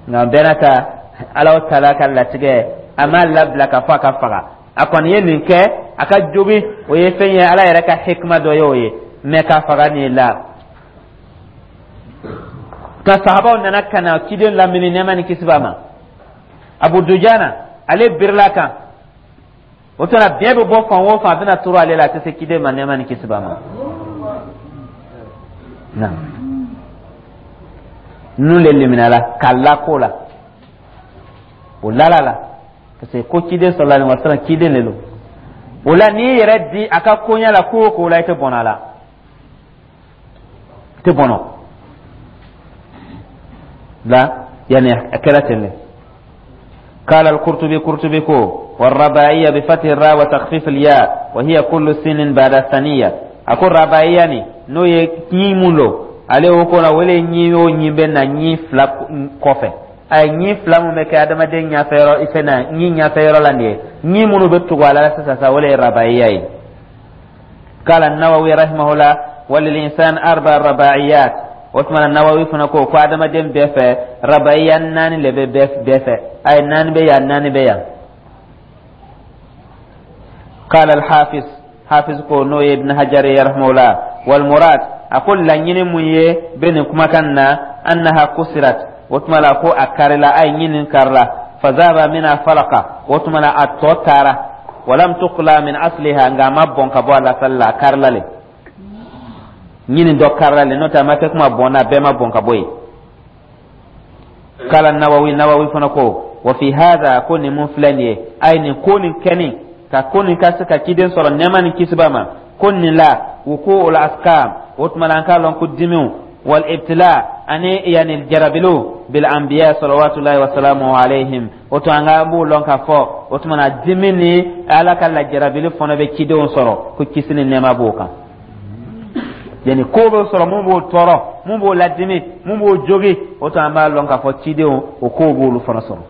Nka bɛɛ n'a ta, Ala taala ka latigɛ, a m'a labila k'a fɔ a ka faga. A kɔni ye nin kɛ, a ka jogi, o ye fɛn ye, Ala yɛrɛ ka hikima dɔ ye o ye, mɛ k'a faga nin la. Ka sahabaw nana ka na ciden lamini, nɛɛma ni kisi b'a ma, Abu Dujana ale birila kan, o tuma biɲɛ bɛ bɔ fan o fan, a bɛna turu ale la, a tɛ se ciden ma, nɛɛma ni kisi b'a ma. Na ninnu le liminala k'a la ko la, o lala la, parce que ko ciden sallallahu alaihi wasallam, ciden le don. O la n'i yɛrɛ di a ka koɲɛ la, ko o ko la, i tɛ bɔnɔ a la, i tɛ bɔnɔ la, yani a kɛra ten de. قال القرطبي، قرطبي كو: والرباعية بفتح الراء وتخفيف الياء، وهي كل سن بعد الثانية. أقول رباعية ني n'o ye ɲi mun lo, ale o ko la, o le ɲi o ɲi bɛ na ɲi fila kɔfɛ. A ye ɲi fila mun bɛ kɛ adamaden ɲɛfɛ yɔrɔ fɛn na, ɲi ɲɛfɛ yɔrɔ la nin ye, ɲi minnu bɛ tugu a la sisan sa, o le ye rabaiya ye. قال النووي رحمه الله: وللإنسان أربع رباعيات. O tuma na Nawawi fana ko ko adamaden bɛɛ fɛ, rabaiya naani le bɛ bɛɛ fɛ, a ye naani bɛ yan, naani bɛ yan. قال الحافظ، hafiz ko, n'o ye Ibn Hajar ye rahimahullah: wal murad, a ko laɲini mun ye bɛ nin kumakan na, annaha kusirat, o tuma la ko a karila, a ye ɲinin karila, fazaba mina falaka, o tuma la a tɔ taara, walam tuqla min asliha, nka a ma bɔn ka bɔ a lasali la, a karila le, ɲinin dɔ karila le, n'o tɛ a ma kɛ kuma bɔnna, bɛɛ ma bɔn ka bɔ yen. Kala Nawawi, Nawawi fana ko: wa fi hadha, ko nin mun filɛ nin ye, a ye nin ko nin kɛni ka ko nin ka se ka ciden sɔrɔ, nɛɛma ni kisi b'a ma, ko nin la wuku ul askam, o tuma la an k'a lɔn ko dimiw, wal ibtila, ani yani jarabiliw, bil anbiya salawatullahi wa salamu alayhim, o tuma an ka b'o lɔn k'a fɔ, o tuma na dimi ni Ala ka lajarabili fana bɛ cidenw sɔrɔ, ko kisi ni nɛɛma b'o kan. Yani ko bɛ sɔrɔ mun b'o tɔɔrɔ, mun b'o ladimi, mun b'o jogi, o tuma an b'a lɔn k'a fɔ cidenw, o kow b'olu fana sɔrɔ.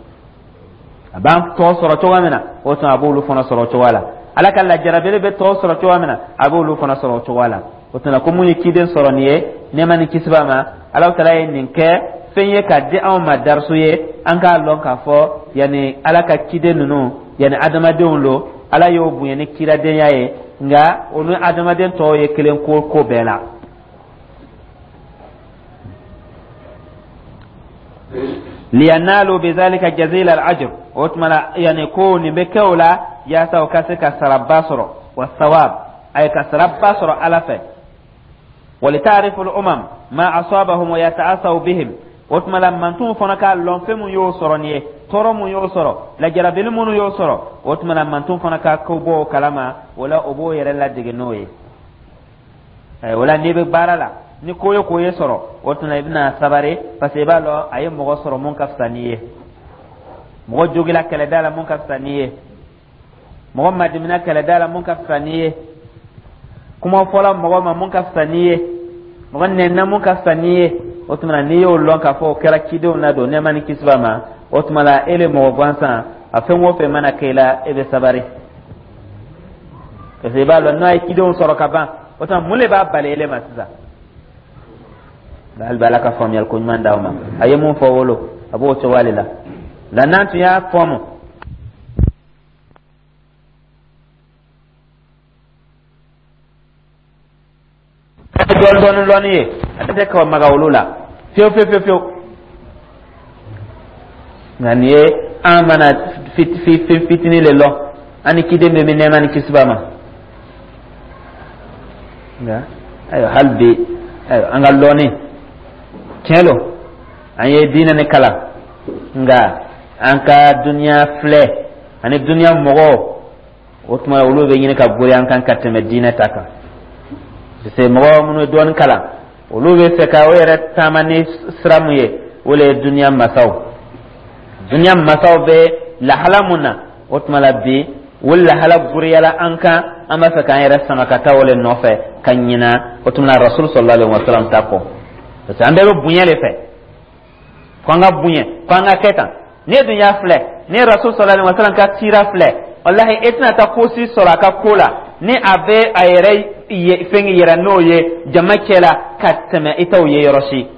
A b'an tɔ sɔrɔ cogoya min na, o tuma a b'olu fana sɔrɔ o cogoya la. Ala ka lajarabili bɛ tɔ sɔrɔ cogoya min na, a b'olu fana sɔrɔ o cogoya la. O tuma ko mun ye ciden sɔrɔ nin ye, nɛɛma ni kisi b'a ma, Ala taala ye nin kɛ fɛn ye k'a di anw ma darisu ye, an k'a lɔn k'a fɔ yanni Ala ka ciden ninnu, yanni adamadenw lo, Ala y'o bonya ni kiradenya ye, nka olu adamaden tɔw ye kelen ko ko bɛɛ la. Liyanalu bizalika jazila al-ajr, o tuma la, yani ko nin bɛ kɛ o la yaasa o ka se ka saraba sɔrɔ, wa sawab, a ye ka saraba sɔrɔ Ala fɛ. Walitarifu al-umam ma asabahum wa yata'asaw bihim, o tuma la mantonw fana k'a lɔn fɛn mun y'o sɔrɔ nin ye, tɔɔrɔ mun y'o sɔrɔ, lajarabili minnu y'o sɔrɔ. O tuma la mantonw fana ka ko bɔ o kalama, o la o b'o yɛrɛ ladege n'o ye. O la n'i bɛ baara la, ni ko ye ko ye sɔrɔ, o tuma i bɛna sabari, parce que i b'a lɔn a ye mɔgɔ sɔrɔ mun ka fisa n'i ye, mɔgɔ jogila kɛlɛda la mun ka fisa n'i ye, mɔgɔ madimina kɛlɛda la mun ka fisa n'i ye, kuma fɔla mɔgɔ ma mun ka fisa n'i ye, mɔgɔ nɛnna mun ka fisa n'i ye. O tuma n'i y'o lɔn k'a fɔ o kɛra cidenw na don, nɛɛma ni kisi b'a ma, o tuma la e le mɔgɔ gansan, a fɛn o fɛn mana kɛ i la, e bɛ sabari, parce que i b'a lɔn n'a ye cidenw sɔrɔ ka ban, o tuma mun de b'a bali ele ma sisan? Hali bi Ala ka faamuyali ko ɲuman d'aw ma. A ye mun fɔ wolo, a b'o cogoya de la. Nka n'an tun y'a faamu dɔɔni dɔɔni lɔnni ye, a tɛ ka maga olu la fiyewu fiyewu fiyewu fiyewu. Nka nin ye an mana fitinin le lɔn, an ni ciden bɛ min, nɛɛma ni kisi b'a ma. Nka ayiwa, hali bi, ayiwa, an ka lɔnni tiɲɛ lo, an ye diinɛ ni kalan, nka an ka duniya filɛ ani duniya mɔgɔw, o tuma olu bɛ ɲini ka gori an kan ka tɛmɛ diinɛ ta kan, parce que mɔgɔ minnu ye dɔɔni kalan, olu bɛ fɛ ka o yɛrɛ taama ni sira mun ye, o le ye duniya masaw. Duniya masaw bɛ lahala mun na, o tuma la bi o lahala goriyala an kan, an b'a fɛ k'an yɛrɛ sama ka taa o le nɔfɛ ka ɲina o tuma na Rasul sallallahu alaihi wa sallam ta kɔ, parce que an bɛɛ bɛ bonya le fɛ, ko an ka bonya, ko an ka kɛ tan. N'e dun y'a filɛ, ni Rasul sallallahu alaihi wa sallam ka sira filɛ, walahi e tɛna taa ko si sɔrɔ a ka ko la ni a bɛ a yɛrɛ fɛn yɛrɛ n'o ye jama cɛ la ka tɛmɛ i t'o ye yɔrɔ si,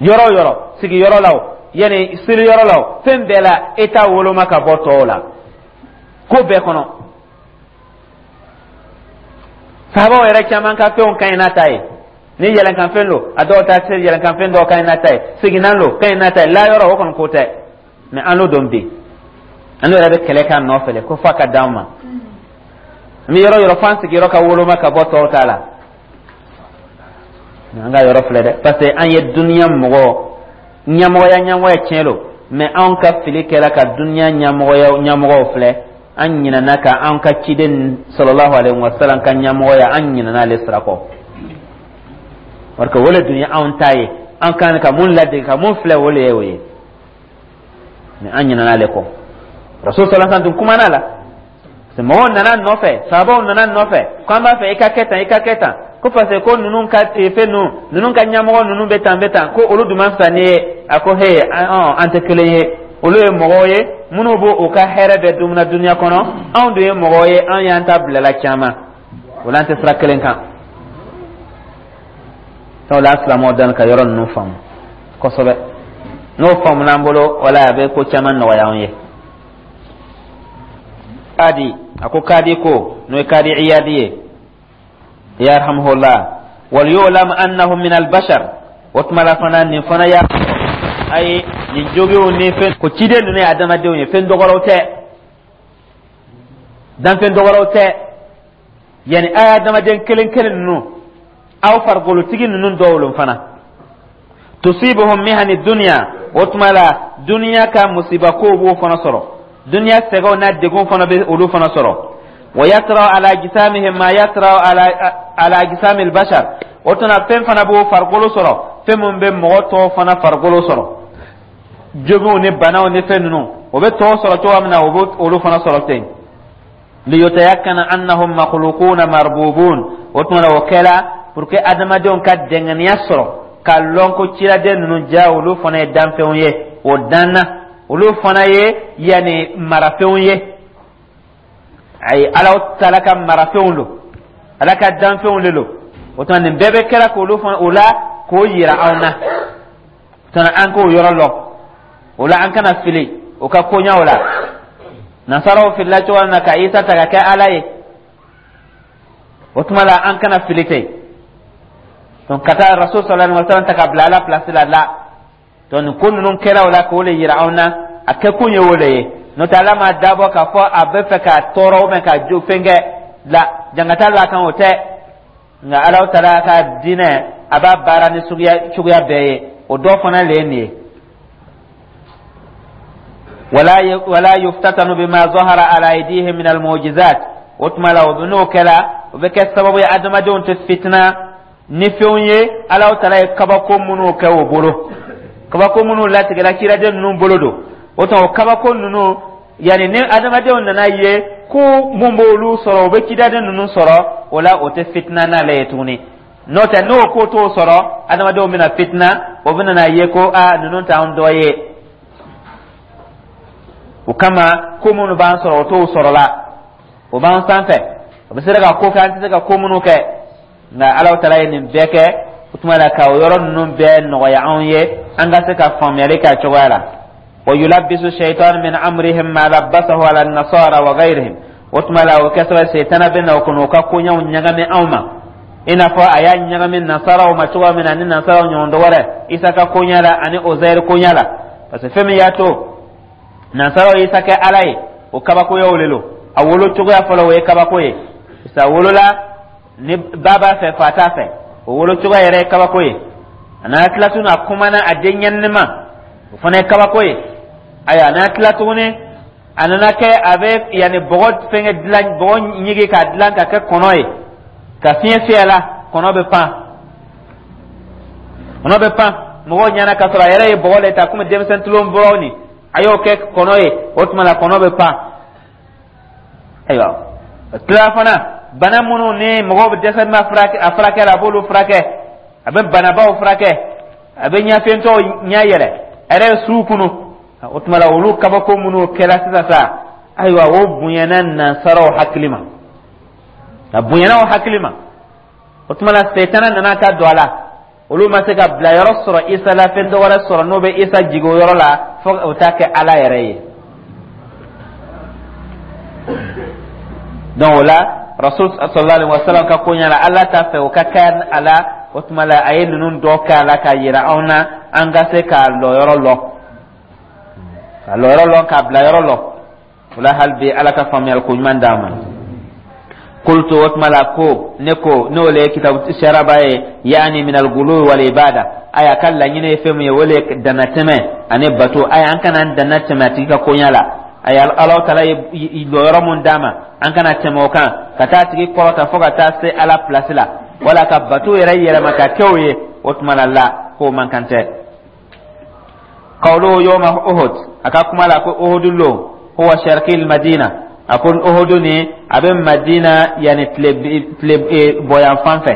yɔrɔ o yɔrɔ, sigiyɔrɔ la o, yanni seliyɔrɔ la o, fɛn bɛɛ la, e t'a woloma ka bɔ tɔw la ko bɛɛ kɔnɔ. Sahabaw yɛrɛ caman ka fɛnw ka ɲi n'a ta ye. Ni yɛlɛnkanfɛn don, a dɔw ta se yɛlɛnkanfɛn dɔw ka ɲi n'a ta ye, seginnan don ka ɲi n'a ta ye, layɔrɔ o kɔni ko tɛ. Mɛ an n'o dɔn bi, an n'o yɛrɛ bɛ kɛlɛ k'a nɔfɛ de ko f'a ka d'an ma. An bɛ yɔrɔ yɔrɔ f'an sigiyɔrɔ ka woloma ka bɔ tɔw ta la. An ka yɔrɔ filɛ dɛ, parce que an ye duniya mɔgɔ ɲɛmɔgɔya ɲɛmɔgɔya tiɲɛ don, mɛ anw ka fili kɛra ka duniya ɲɛmɔgɔya ɲɛmɔgɔw filɛ, an ɲinɛna ka an ka ciden sallallahu alaihi wa sallam ka ɲɛmɔgɔya, an ɲinɛna ale sira kɔ, parce que o le dun ye anw ta ye, an kan ka mun ladege, ka mun filɛ, o le ye o ye, mɛ an ɲinɛna ale kɔ. Rasul sallallahu alaihi wa sallam dun kumana la, mɔgɔw nana nɔfɛ, sahabaw nana nɔfɛ ko an b'a fɛ i ka kɛ tan, i ka kɛ tan, ko parce que ko ninnu ka fɛn ninnu, ninnu ka ɲɛmɔgɔ ninnu bɛ tan bɛ tan, ko olu dun man fisa ni ye. A ko he, an tɛ kelen ye, olu ye mɔgɔw ye minnu b'o u ka hɛrɛ bɛɛ dumuna duniya kɔnɔ, anw dun ye mɔgɔw ye, an y'an ta bilala caman o la, an tɛ sira kelen kan. Sabula an silamɛw dan ka yɔrɔ ninnu faamu kosɛbɛ, n'o faamuna an bolo, wala a bɛ ko caman nɔgɔya anw ye. Kadi a ko, kadi ko n'o ye kadi Iyadi ye, yarhamuhullah, wal yu'lam annahu min al-bashar. O tuma la fana, nin fana y'a ayi nin jogiw ni fɛn ko ciden ninnu ye adamadenw ye, fɛn dɔgɔrɔw tɛ, danfɛn dɔgɔrɔw tɛ, yanni a ye adamaden kelen kelen ninnu, aw farikolotigi ninnu dɔw lon fana. Tusibuhum mihani dunya, o tuma la duniya ka musiba kow b'o fana sɔrɔ, duniya sɛgɛnw n'a degun fana bɛ olu fana sɔrɔ. Wa yatra ala ajsamihim ma yatra ala ajsamil bashar, o tuma fɛn fana b'o farikolo sɔrɔ, fɛn min bɛ mɔgɔ tɔw fana farikolo sɔrɔ, joginw ni banaw ni fɛn ninnu, o bɛ tɔw sɔrɔ cogoya min na, o bɛ olu fana sɔrɔ ten. Liyutayakkana annahum makhluquna marbubun, o tuma la o kɛla pour que adamadenw ka dɛngɛniya sɔrɔ ka lɔn ko ciraden ninnu ja, olu fana ye danfɛnw ye, o danna, olu fana ye yanni marafɛnw ye, ayi, Ala taala ka marafɛnw don, Ala ka danfɛnw de don. O tuma nin bɛɛ bɛ kɛra k'olu fana o la k'o yira anw na, tuma an k'o yɔrɔ lɔn, o la an kana fili o ka koɲaw la. Nasaraw filila cogoya min na ka Isa ta ka kɛ Ala ye, o tuma la an kana fili ten. Donc ka taa Rasul sallallahu alaihi wasallam ta ka bila Ala place la la. Donc nin ko ninnu kɛra o la k'o le yira anw na, a kɛkun ye o le ye. N'o tɛ, Ala ma dabɔ k'a fɔ a bɛ fɛ k'a tɔɔrɔ ou bien ka jo fɛn kɛ la jangata la kan, o tɛ. Nka Ala taala ka diinɛ, a b'a baara ni suguya cogoya bɛɛ ye, o dɔ fana le ye nin ye. Wala yuftatanu bima zahara ala aydihim min almu'jizat. O tuma la, o n'o kɛra, o bɛ kɛ sababu ye adamadenw tɛ fitina ni fɛnw ye Ala taala ye kabako minnu kɛ o bolo, kabako minnu latigɛra ciraden ninnu bolo don. O tuma, o kabako ninnu, yanni ni adamadenw nana ye ko mun b'olu sɔrɔ, o bɛ cidaden ninnu sɔrɔ, o la o tɛ fitina n'ale ye tuguni. N'o tɛ, n'o ko t'o sɔrɔ, adamadenw bɛna fitina, o bɛna na ye ko aa, ninnu t'anw dɔ ye. O kama, ko minnu b'an sɔrɔ, o t'o sɔrɔ la, o b'an sanfɛ, o bɛ se ka ko kɛ an tɛ se ka ko minnu kɛ. Nka Ala taala ye nin bɛɛ kɛ, o tuma la ka o yɔrɔ ninnu bɛɛ nɔgɔya anw ye, an ka se ka faamuyali kɛ a cogoya la. Wa yulabbisu shaitan min amrihim ma labbasahu ala nasara wa ghayrihim. O tuma la, o kɛ sababu, setana bɛ na o kɔnɔ, o ka koɲɛw ɲagami anw ma, i n'a fɔ a y'a ɲagami nasaraw ma cogoya min na, ni nasaraw ɲɔgɔn dɔ wɛrɛ, Isa ka koɲɛ la ani Ozɛri koɲɛ la. Parce que fɛn min y'a to nasaraw Isa kɛ Ala ye, o kabakoyaw le lo. A wolo cogoya fɔlɔ, o ye kabako ye. Isa wolola ni ba b'a fɛ, fa t'a fɛ, o wolo cogoya yɛrɛ ye kabako ye. A nana tila tuguni, a kumana a den ɲɛnini ma, o fana ye kabako ye. Ayiwa, a nana tila tuguni, a nana kɛ a bɛ yanni bɔgɔ fɛngɛ dilan, bɔgɔ ɲigi k'a dilan ka kɛ kɔnɔ ye, ka fiɲɛ fiyɛ la, kɔnɔ bɛ pan, kɔnɔ bɛ pan mɔgɔw ɲɛna, k'a sɔrɔ a yɛrɛ ye bɔgɔ le ta komi denmisɛn tulon bɔrɔ nin, a y'o kɛ kɔnɔ ye. O tuma la, kɔnɔ bɛ pan. Ayiwa, tila fana, bana minnu ni mɔgɔw bɛ dɛsɛ ma furakɛ, a furakɛ la, a b'olu furakɛ, a bɛ banabaw furakɛ, a bɛ ɲɛfɛntɔw ɲɛ yɛlɛ, a yɛrɛ ye suw kunu. O tuma la, olu kabako minnu kɛra sisan sa, ayiwa, o bonyana nansaraw hakili ma, a bonyana o hakili ma. O tuma la, setana nana ka don a la, olu ma se ka bila yɔrɔ sɔrɔ Isa la, fɛn dɔ wɛrɛ sɔrɔ n'o bɛ Isa jigin o yɔrɔ la, fo o ta kɛ Ala yɛrɛ ye. Donc o la, Rasul sallallahu alaihi wasallam ka koɲɛ la, Ala t'a fɛ o ka kɛ a la. O tuma la, a ye ninnu dɔ kɛ a la k'a yira anw na, an ka se k'a lɔyɔrɔ lɔn, k'a lɔyɔrɔ lɔn, k'a bila yɔrɔ lɔn. O la, hali bi, Ala ka faamuyali ko ɲuman d'an ma. Qultu, o tuma la ko ne ko, n'o le ye kitabu sharaba ye, yaani min al-gulu wal ibada. Aya ka laɲini ye fɛn min ye, o le ye dannatɛmɛ ani bato. Aya, an kana an danna tɛmɛ a tigi ka koɲɛ la. Aya, Ala taala ye lɔyɔrɔ mun d'a ma, an kana tɛmɛ o kan ka taa tigi kɔrɔta fo ka taa se Ala place la, wala ka bato yɛrɛ yɛlɛma ka kɛ o ye. O tuma la la k'o man kan tɛ. Qawluhu yawma Uhud, a ka kuma la ko Uhud lon, huwa sharqi Madina. A ko Uhud ni a bɛ Madina yani tile bɔyan fan fɛ,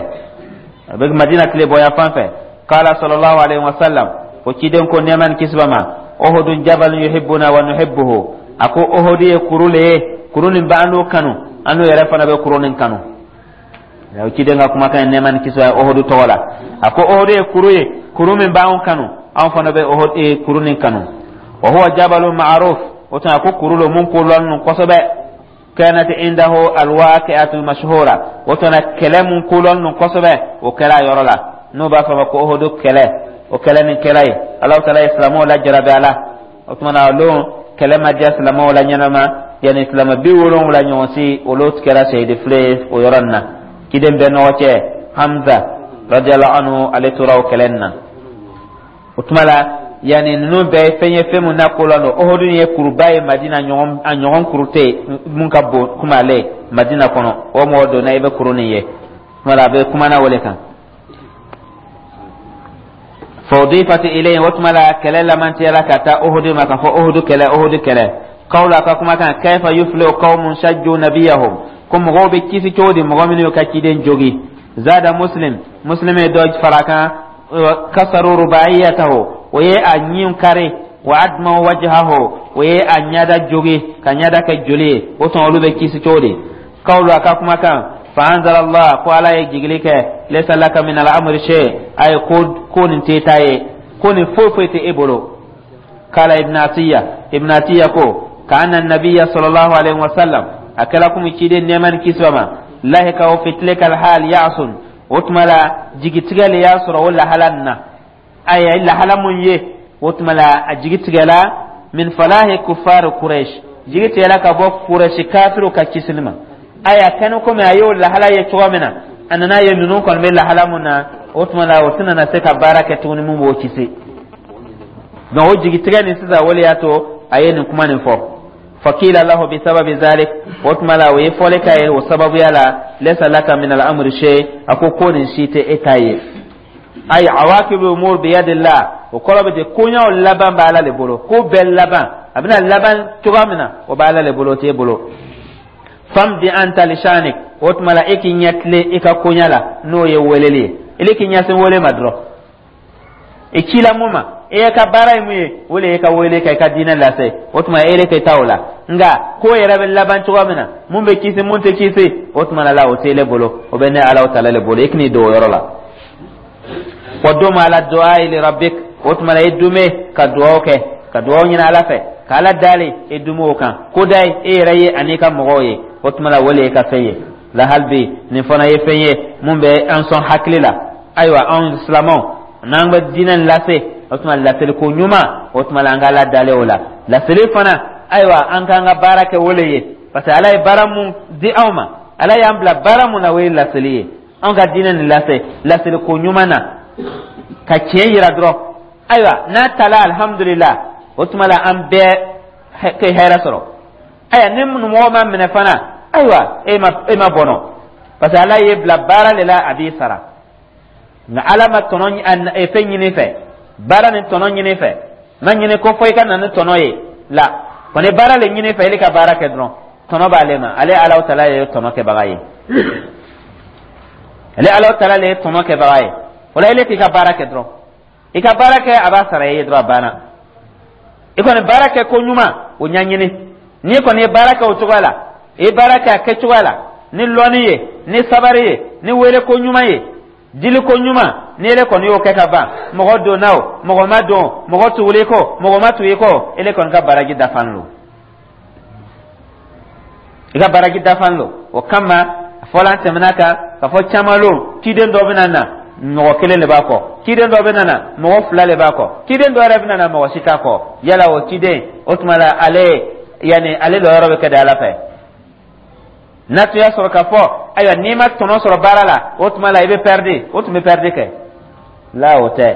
a bɛ Madina tile bɔyan fan fɛ. Qala sallallahu alaihi wasallam, ko ciden ko, nɛɛma ni kisi b'a ma, Uhudun jabalun yuhibbuna wa nuhibbuhu. A ko Uhud ye kuru le ye, kuru nin b'an n'o kanu, an n'o yɛrɛ fana bɛ kuru nin kanu. O ciden ka kumakan ye, nɛɛma ni kisi b'a ye, Uhud tɔgɔ la. A ko Uhud ye kuru ye, kuru min b'anw kanu, anw fana bɛ Uhud kuru nin kanu. Wa huwa jabalun ma'ruf. O tuma, ko kuru lo mun ko lɔn kosɛbɛ. Kanat indahu alwaqi'atu mashhura. O tuma, kɛlɛ mun ko lɔn kosɛbɛ, o kɛra a yɔrɔ la, n'o b'a fɔ ma ko Uhud kɛlɛ. O kɛlɛ nin kɛra yen, Alahu taala ye silamɛw lajarabi a la. O tuma na, o don kɛlɛ ma diya silamɛw la ɲɛnama, yanni silamɛ 70 ɲɔgɔn si, olu kɛra sahidi file ye o yɔrɔ nin na. Ciden bɛɛ nɔgɔ cɛ Hamza radiyallahu anhu, ale tora o kɛlɛ nin na. O tuma la, yanni ninnu bɛɛ ye fɛn ye, fɛn mun na ko la don. Uhud ye kuruba ye Madina, ɲɔgɔn a ɲɔgɔn kuru tɛ yen mun ka bon komi ale Madina kɔnɔ. O mɔgɔ donna, i bɛ kuru nin ye. O tuma la, a bɛ kumana o de kan. Fa udifat ilayhi. O tuma la, kɛlɛ lamantiyala ka taa Uhud ma, ka fɔ Uhud kɛlɛ, Uhud kɛlɛ. Qawlu, a ka kumakan, kayfa yuflihu qawmun shajju nabiyahum, ko mɔgɔw bɛ kisi cogo di, mɔgɔ minnu y'u ka ciden jogi? Zada Muslim, Muslim ye dɔ fara kan, kasaru rubaiyatahu, o ye a ɲin kari, wa admaw wajhahu, o ye a ɲada jogi ka ɲada kɛ joli ye. O tuma, olu bɛ kisi cogo di? Qawlu, a ka kumakan, fa anzala Allah, ko Ala ye jigili kɛ, laysa laka min al-amri shay. Ayi, ko nin t'e ta ye, ko nin foyi foyi tɛ e bolo. Kala Ibn Atiya, Ibn Atiya ko, ka anna nabiyya sallallahu alaihi wasallam, a kɛra komi ciden, nɛɛma ni kisi b'a ma, lahikahu fi tilka alhal ya'sun. O tuma la, jigitigɛ le y'a sɔrɔ o lahala nin na. Ayi, lahala mun ye O tuma la, a jigi tigɛla min falahi kufar Quraish, jigi tigɛla ka bɔ Quraish kafiriw ka kisili ma. Aya, kɛnɛ komi a y'o lahala ye cogo min na, a nana ye ninnu kɔni bɛ lahala mun na, o tuma la, o tɛna na se ka baara kɛ tuguni mun b'o kisi. Donc o jigitigɛ nin sisan, o de y'a to a ye nin kuma nin fɔ. Fakila lahu bisababi zalik, o tuma la, o ye fɔli k'a ye o sababuya la: laysa laka min al-amri shay. A ko nin si tɛ e ta ye. Ay awakibu umur biyadillah, o kɔrɔ bɛ ten, koɲaw laban bɛ Ala le bolo. Ko bɛɛ laban, a bɛna laban cogoya min na, o bɛ Ala le bolo, o t'e bolo. Famdi anta lishanik, o tuma la, e k'i ɲɛ tilen i ka koɲa la, n'o ye weleli ye. Ele k'i ɲɛsin wele ma dɔrɔn. I cila mun ma, e ka baara ye mun ye? O le ye ka wele ka i ka diinɛ lase. O tuma, e de ka taa o la. Nka ko yɛrɛ bɛ laban cogoya min na, mun bɛ kisi, mun tɛ kisi, o tuma la, o t'ele bolo, o bɛ ne Ala taala le bolo. I k'i don o yɔrɔ la. Wa dum ala du'a li rabbik, o tuma la, i dume ka dugawu kɛ, ka dugawu ɲini Ala fɛ, ka Ala dali, i dume o kan. Ko da ye e yɛrɛ ye ani ka mɔgɔw ye, o tuma la, o le ye ka fɛn ye la. Hali bi, nin fana ye fɛn ye mun bɛ an sɔn hakili la. Ayiwa, anw silamɛw, n'an bɛ diinɛ lase, o tuma laseli ko ɲuman, o tuma la, an ka Ala dalen o la. Laseli fana, ayiwa, an k'an ka baara kɛ o le ye, parce que Ala ye baara mun di anw ma, Ala y'an bila baara mun na, o ye laseli ye. Anw ka diinɛ nin lase laseli ko ɲuman na, ka tiɲɛ yira dɔrɔn. Ayiwa, n'a tala, alhamdulillah, o tuma la, an bɛɛ kɛ hɛrɛ sɔrɔ. Ayiwa, ni mɔgɔ ma minɛ fana, ayiwa, e ma bɔnɔ, parce que Ala ye bila baara de la, a b'i sara. Nka Ala ma tɔnɔ fɛn ɲini fɛ, baara ni tɔnɔ ɲini fɛ, ma ɲini ko fɔ i ka na ni tɔnɔ ye la. Kɔni baara le ɲini fɛ, e ka baara kɛ dɔrɔn, tɔnɔ b'ale ma. Ale Ala taala ye tɔnɔ kɛbaga ye, ale Ala taala le ye tɔnɔ kɛbaga ye. O la, ele k'i ka baara kɛ dɔrɔn, i ka baara kɛ, a b'a sara i ye dɔrɔn, a banna. I kɔni baara kɛ ko ɲuman, o ɲɛɲini. N'i kɔni ye baara kɛ o cogoya la, i ye baara kɛ a kɛcogoya la, ni lɔnni ye, ni sabari ye, ni wele ko ɲuman ye, dili ko ɲuman, ni ele kɔni y'o kɛ ka ban, mɔgɔ donna o, mɔgɔ ma don, mɔgɔ tuguli kɔ, mɔgɔ ma tugu i kɔ, ele kɔni ka baraji dafan lo, i ka baraji dafan lo. O kama, fɔla an tɛmɛna kan ka fɔ caman lo, ciden dɔ bɛna na, mɔgɔ kelen de b'a kɔ. Ciden dɔ bɛna na, mɔgɔ fila de b'a kɔ. Ciden dɔ yɛrɛ bɛna na, mɔgɔ si t'a kɔ. Yala o ciden, o tuma la, ale yanni ale lɔyɔrɔ bɛ kɛ di Ala fɛ? N'a tun y'a sɔrɔ k'a fɔ, ayiwa, n'i ma tɔnɔ sɔrɔ baara la, o tuma la, i bɛ pɛridi, o tun bɛ pɛridi kɛ la, o tɛ.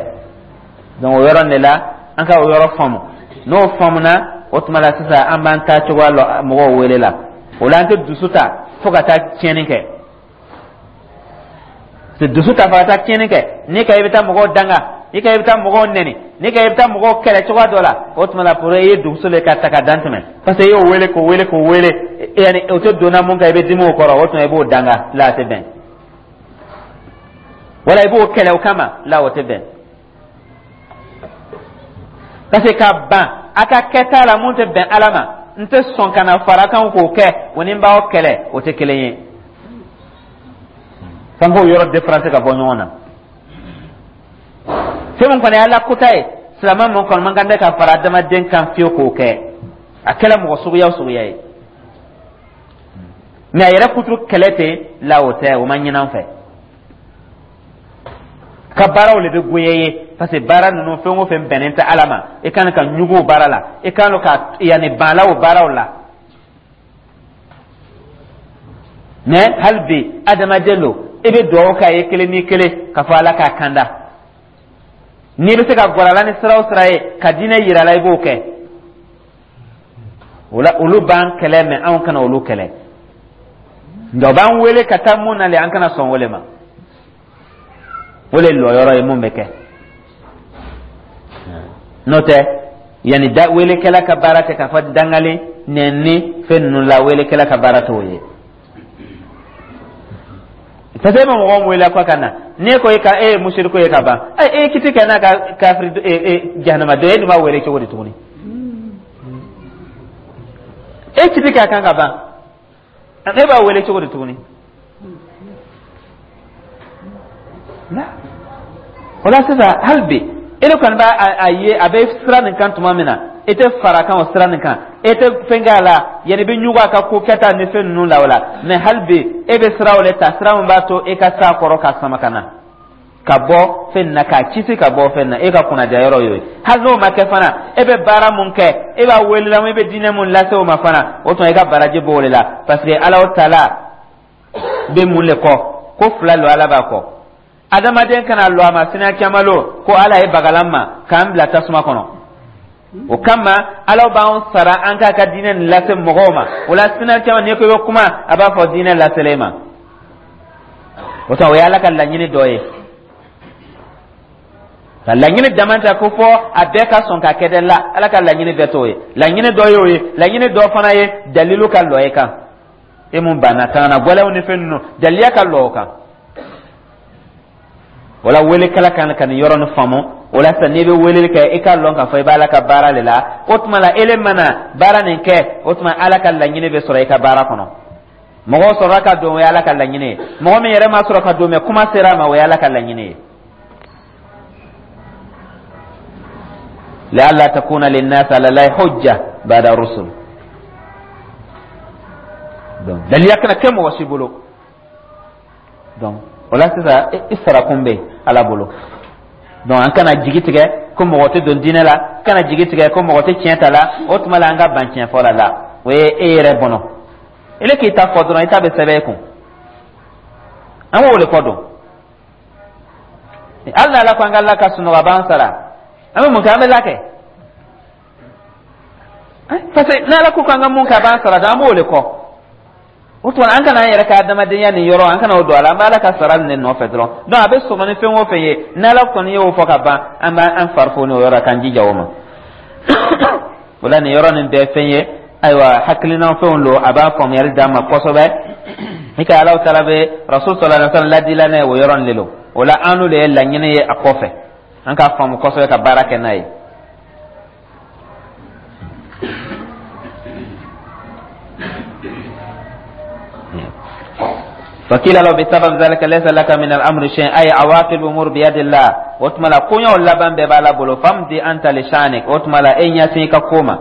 Donc o yɔrɔ de la, an ka o yɔrɔ faamu. N'o faamuna, o tuma la, sisan an b'an ta cogoya lɔ mɔgɔw wele la. O la, an tɛ dusu ta fo ka taa tiɲɛni kɛ. Dusu ta fo ka taa tiɲɛni kɛ, n'i ka i bɛ taa mɔgɔw danga, n'i ka i bɛ taa mɔgɔw nɛni, n'i ka i bɛ taa mɔgɔw kɛlɛ cogoya dɔ la, o tuma la, pour i ye dusu le ka ta ka dan tɛmɛ, parce que i y'o wele k'o wele k'o wele, yanni o tɛ donna mun kan, i bɛ dimi o kɔrɔ, o tuma i b'o danga la, a tɛ bɛn. Wala i b'o kɛlɛ o kama la, o tɛ bɛn, parce que ka ban a ka kɛta la mun tɛ bɛn Ala ma, n tɛ sɔn ka na fara kan k'o kɛ, o ni n b'aw kɛlɛ, o tɛ kelen ye. F'an k'o yɔrɔ différence ka bɔ ɲɔgɔn na. Fɛn min kɔni ye Ala kota ye, silamɛ mun kɔni man kan tɛ ka fara adamaden kan fiyewu k'o kɛ, a kɛla mɔgɔ suguya o suguya ye. Mɛ a yɛrɛ kuturu kɛlɛ ten la, o tɛ, o ma ɲin'an fɛ. Ka baaraw le bɛ goya ye, parce que baara ninnu, fɛn o fɛn bɛnnen tɛ Ala ma, i kan ka ɲugu o baara la, i kan ka yanni ban la o baaraw la. Mɛ hali bi, adamaden lo, i bɛ dugawu k'a ye kelen ni kelen k'a fɔ Ala k'a kanda. N'i bɛ se ka gɔrɔ a la ni sira o sira ye ka diinɛ yira a la, i b'o kɛ. O la, olu b'an kɛlɛ, mɛ anw kana olu kɛlɛ. Nka u b'an wele ka taa mun na le, an kana sɔn o le ma. O le lɔyɔrɔ ye mun bɛ kɛ. N'o tɛ, yanni da welekɛla ka baara tɛ k'a fɔ dangali nɛni fɛn ninnu la, welekɛla ka baara t'o ye, parce que e ma mɔgɔ wele ko ka na, n'e ko e ka e ye musiriku ye ka ban, e ye kiti kɛ n'a ka kafiri jahanama dɔ ye, e dun b'a wele cogo di tuguni? E kiti kɛ a kan ka ban, e b'a wele cogo di tuguni? O la sisan, hali bi, e de kɔni b'a a ye, a bɛ sira nin kan tuma min na, e tɛ fara kan o sira nin kan, e tɛ fɛn kɛ a la, yanni i bɛ ɲugun a ka ko kɛta ni fɛn ninnu la o la. Mɛ hali bi, e bɛ sira o de ta, sira min b'a to e ka s'a kɔrɔ k'a sama ka na. Ka bɔ fɛn na, k'a kisi ka bɔ fɛn na, e ka kunnadiya yɔrɔ y'o ye. Hali n'o ma kɛ fana, e bɛ baara mun kɛ, e b'a wele la, e bɛ diinɛ mun lase o ma fana, o tuma i ka baraji b'o de la, parce que Ala taala bɛ mun le kɔ? Ko fila lo Ala b'a kɔ. Adamaden kana lɔ a ma sini caman lo ko Ala ye bagala ma k'an bila tasuma kɔnɔ. O kama Ala b'an sara an k'a ka diinɛ nin lase mɔgɔw ma. O la sini caman, n'i ko i bɛ kuma, a b'a fɔ diinɛ laselen ma. O tuma, o ye Ala ka laɲini dɔ ye. Ka laɲini dama ta ko fɔ a bɛɛ ka sɔn ka kɛ dɛ la, Ala ka laɲini bɛɛ t'o ye. Laɲini dɔ y'o ye, laɲini dɔ fana ye dalilu ka lɔ e kan. E mun banna kan na gɛlɛnw ni fɛn ninnu, daliya ka lɔ o kan. Wala welekɛla kan ka nin yɔrɔ nin faamu. O la sisan, n'i bɛ weleli kɛ, i k'a lɔn k'a fɔ i bɛ Ala ka baara de la. O tuma la, ele mana baara nin kɛ, o tuma Ala ka laɲini bɛ sɔrɔ i ka baara kɔnɔ. Mɔgɔ sɔrɔla ka don, o ye Ala ka laɲini ye. Mɔgɔ min yɛrɛ ma sɔrɔ ka don, mɛ kuma sera a ma, o ye Ala ka laɲini ye. La'alla takuna linnasi ala Allahi hujja ba'da rusul. Donc daliya kana kɛ mɔgɔ si bolo. Donc o la sisan, i sarakun bɛ Ala bolo. Donc an kana jigi tigɛ ko mɔgɔ tɛ don diinɛ la, kana jigi tigɛ ko mɔgɔ tɛ tiɲɛ ta la. O tuma la, an ka ban tiɲɛ fɔ la la, o ye e yɛrɛ bɔnɔ. Ele k'i ta fɔ dɔrɔn, i ta bɛ sɛbɛn e kun. An b'o de kɔ don. Hali n'Ala ko an ka la ka sunɔgɔ, a b'an sara, an bɛ mun kɛ? An bɛ la kɛ, parce que n'Ala ko k'an ka mun kɛ, a b'an sara, an b'o de kɔ. O tuma, an kana an yɛrɛ ka adamadenya nin yɔrɔ, an kana o don a la. An bɛ Ala ka sara nin nɔfɛ dɔrɔn. Donc a bɛ sɔgɔ ni fɛn o fɛn ye, n'Ala kɔni y'o fɔ ka ban, an b'an fari foni o yɔrɔ, k'an jija o ma. O la, nin yɔrɔ nin bɛɛ fɛn ye, ayiwa, hakilina fɛnw don, a b'a faamuyali d'an ma kosɛbɛ. I ka Ala taala bɛ Rasul sallallahu alaihi wasallam ladila n'a ye, o yɔrɔ nin de don. O la, an n'o de ye laɲini ye a kɔfɛ, an k'a faamu kosɛbɛ ka baara kɛ n'a ye. فقيل له بسبب ذلك ليس لك من الامر شيء، اي عواقب الامور بيد الله. O tuma la, koɲɛw laban bɛɛ b'Ala bolo. فامض انت لشانك. O tuma la, e ɲɛsin i ka ko ma.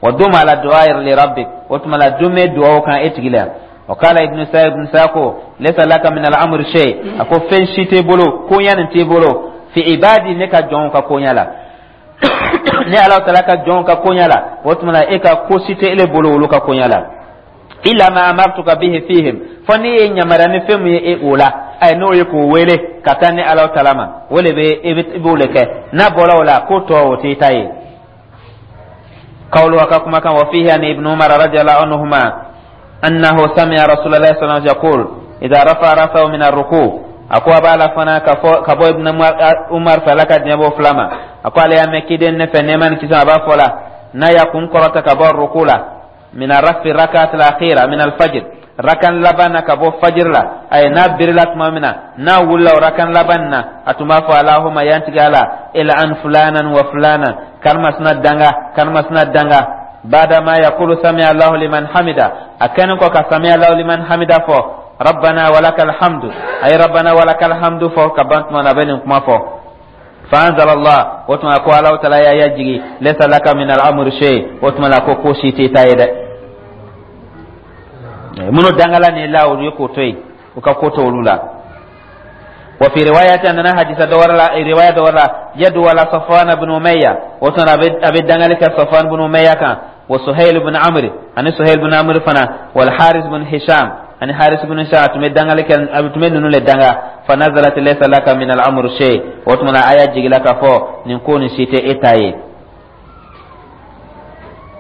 ودم على الدعاء لربك. O tuma la, dume duwawu kan e tigi la. وقال ابن سعيد، ابن ساكو ليس لك من الامر شيء، ako fɛn si t'e bolo, koɲɛ nin t'e bolo. في عبادي, ne ka jɔnw ka koɲɛ la, ne Ala taala ka jɔnw ka koɲɛ la, o tuma la, e ka ko si tɛ ele bolo olu ka koɲɛ la. إلا ما أمرتك به فيهم, fo ne ye yamaruya ni fɛn min ye e o la, ayi, n'o ye k'o wele ka taa ni Ala taala ma, o de bɛ i b'o de kɛ. N'a bɔra o la, ko tɔ o t'i ta ye. قوله كما كان وفيه عن ابن عمر رضي الله عنهما أنه سمع رسول الله صلى الله عليه وسلم يقول إذا رفع رأسه من الركوع. A ko a b'a la fana ka bɔ Ibn Umar fɛ, Ala ka diɲɛ b'o fila ma, a ko ale y'a mɛn kiden ne fɛ, nɛɛma ni kisi, a b'a fɔ la n'a y'a kun kɔrɔta ka bɔ ruku la, من الرفع ركعة الأخيرة من الفجر, rakan laban na ka bɔ fajir la, ayi, n'a birila tuma min na, n'a wulila o rakan laban na, a tun b'a fɔ: اللهم, ya n tigi Ala, العن فلانا وفلانا, karimasina danga, karimasina danga. بعد ما يقول سمع الله لمن حمده, a kɛlen kɔ ka سمع الله لمن حمده fɔ, ربنا ولك الحمد, a ye ربنا ولك الحمد fɔ ka ban tuma na, a bɛ nin kuma fɔ. فأنزل الله, o tuma ko Ala taala y'a jigi: ليس لك من الأمر شيء. O tuma la, ko si t'i ta ye dɛ. Minnu dangala ni la, olu ye k'o to yen, u ka ko to olu la. وفي رواية أننا حديث دور لا رواية دور لا يدعو على صفوان بن أمية, وتنا أبي دنگلك صفوان بن أمية كان وسهيل بن عمرو, أني سهيل بن عمرو فنا, والحارث بن هشام, أني حارث بن هشام تمي دنگلك أبي تمي نونو لدنگا. فنزلت ليس لك من الأمر شيء. وتمنا آية جيلك فو نكون سيتي إتاي.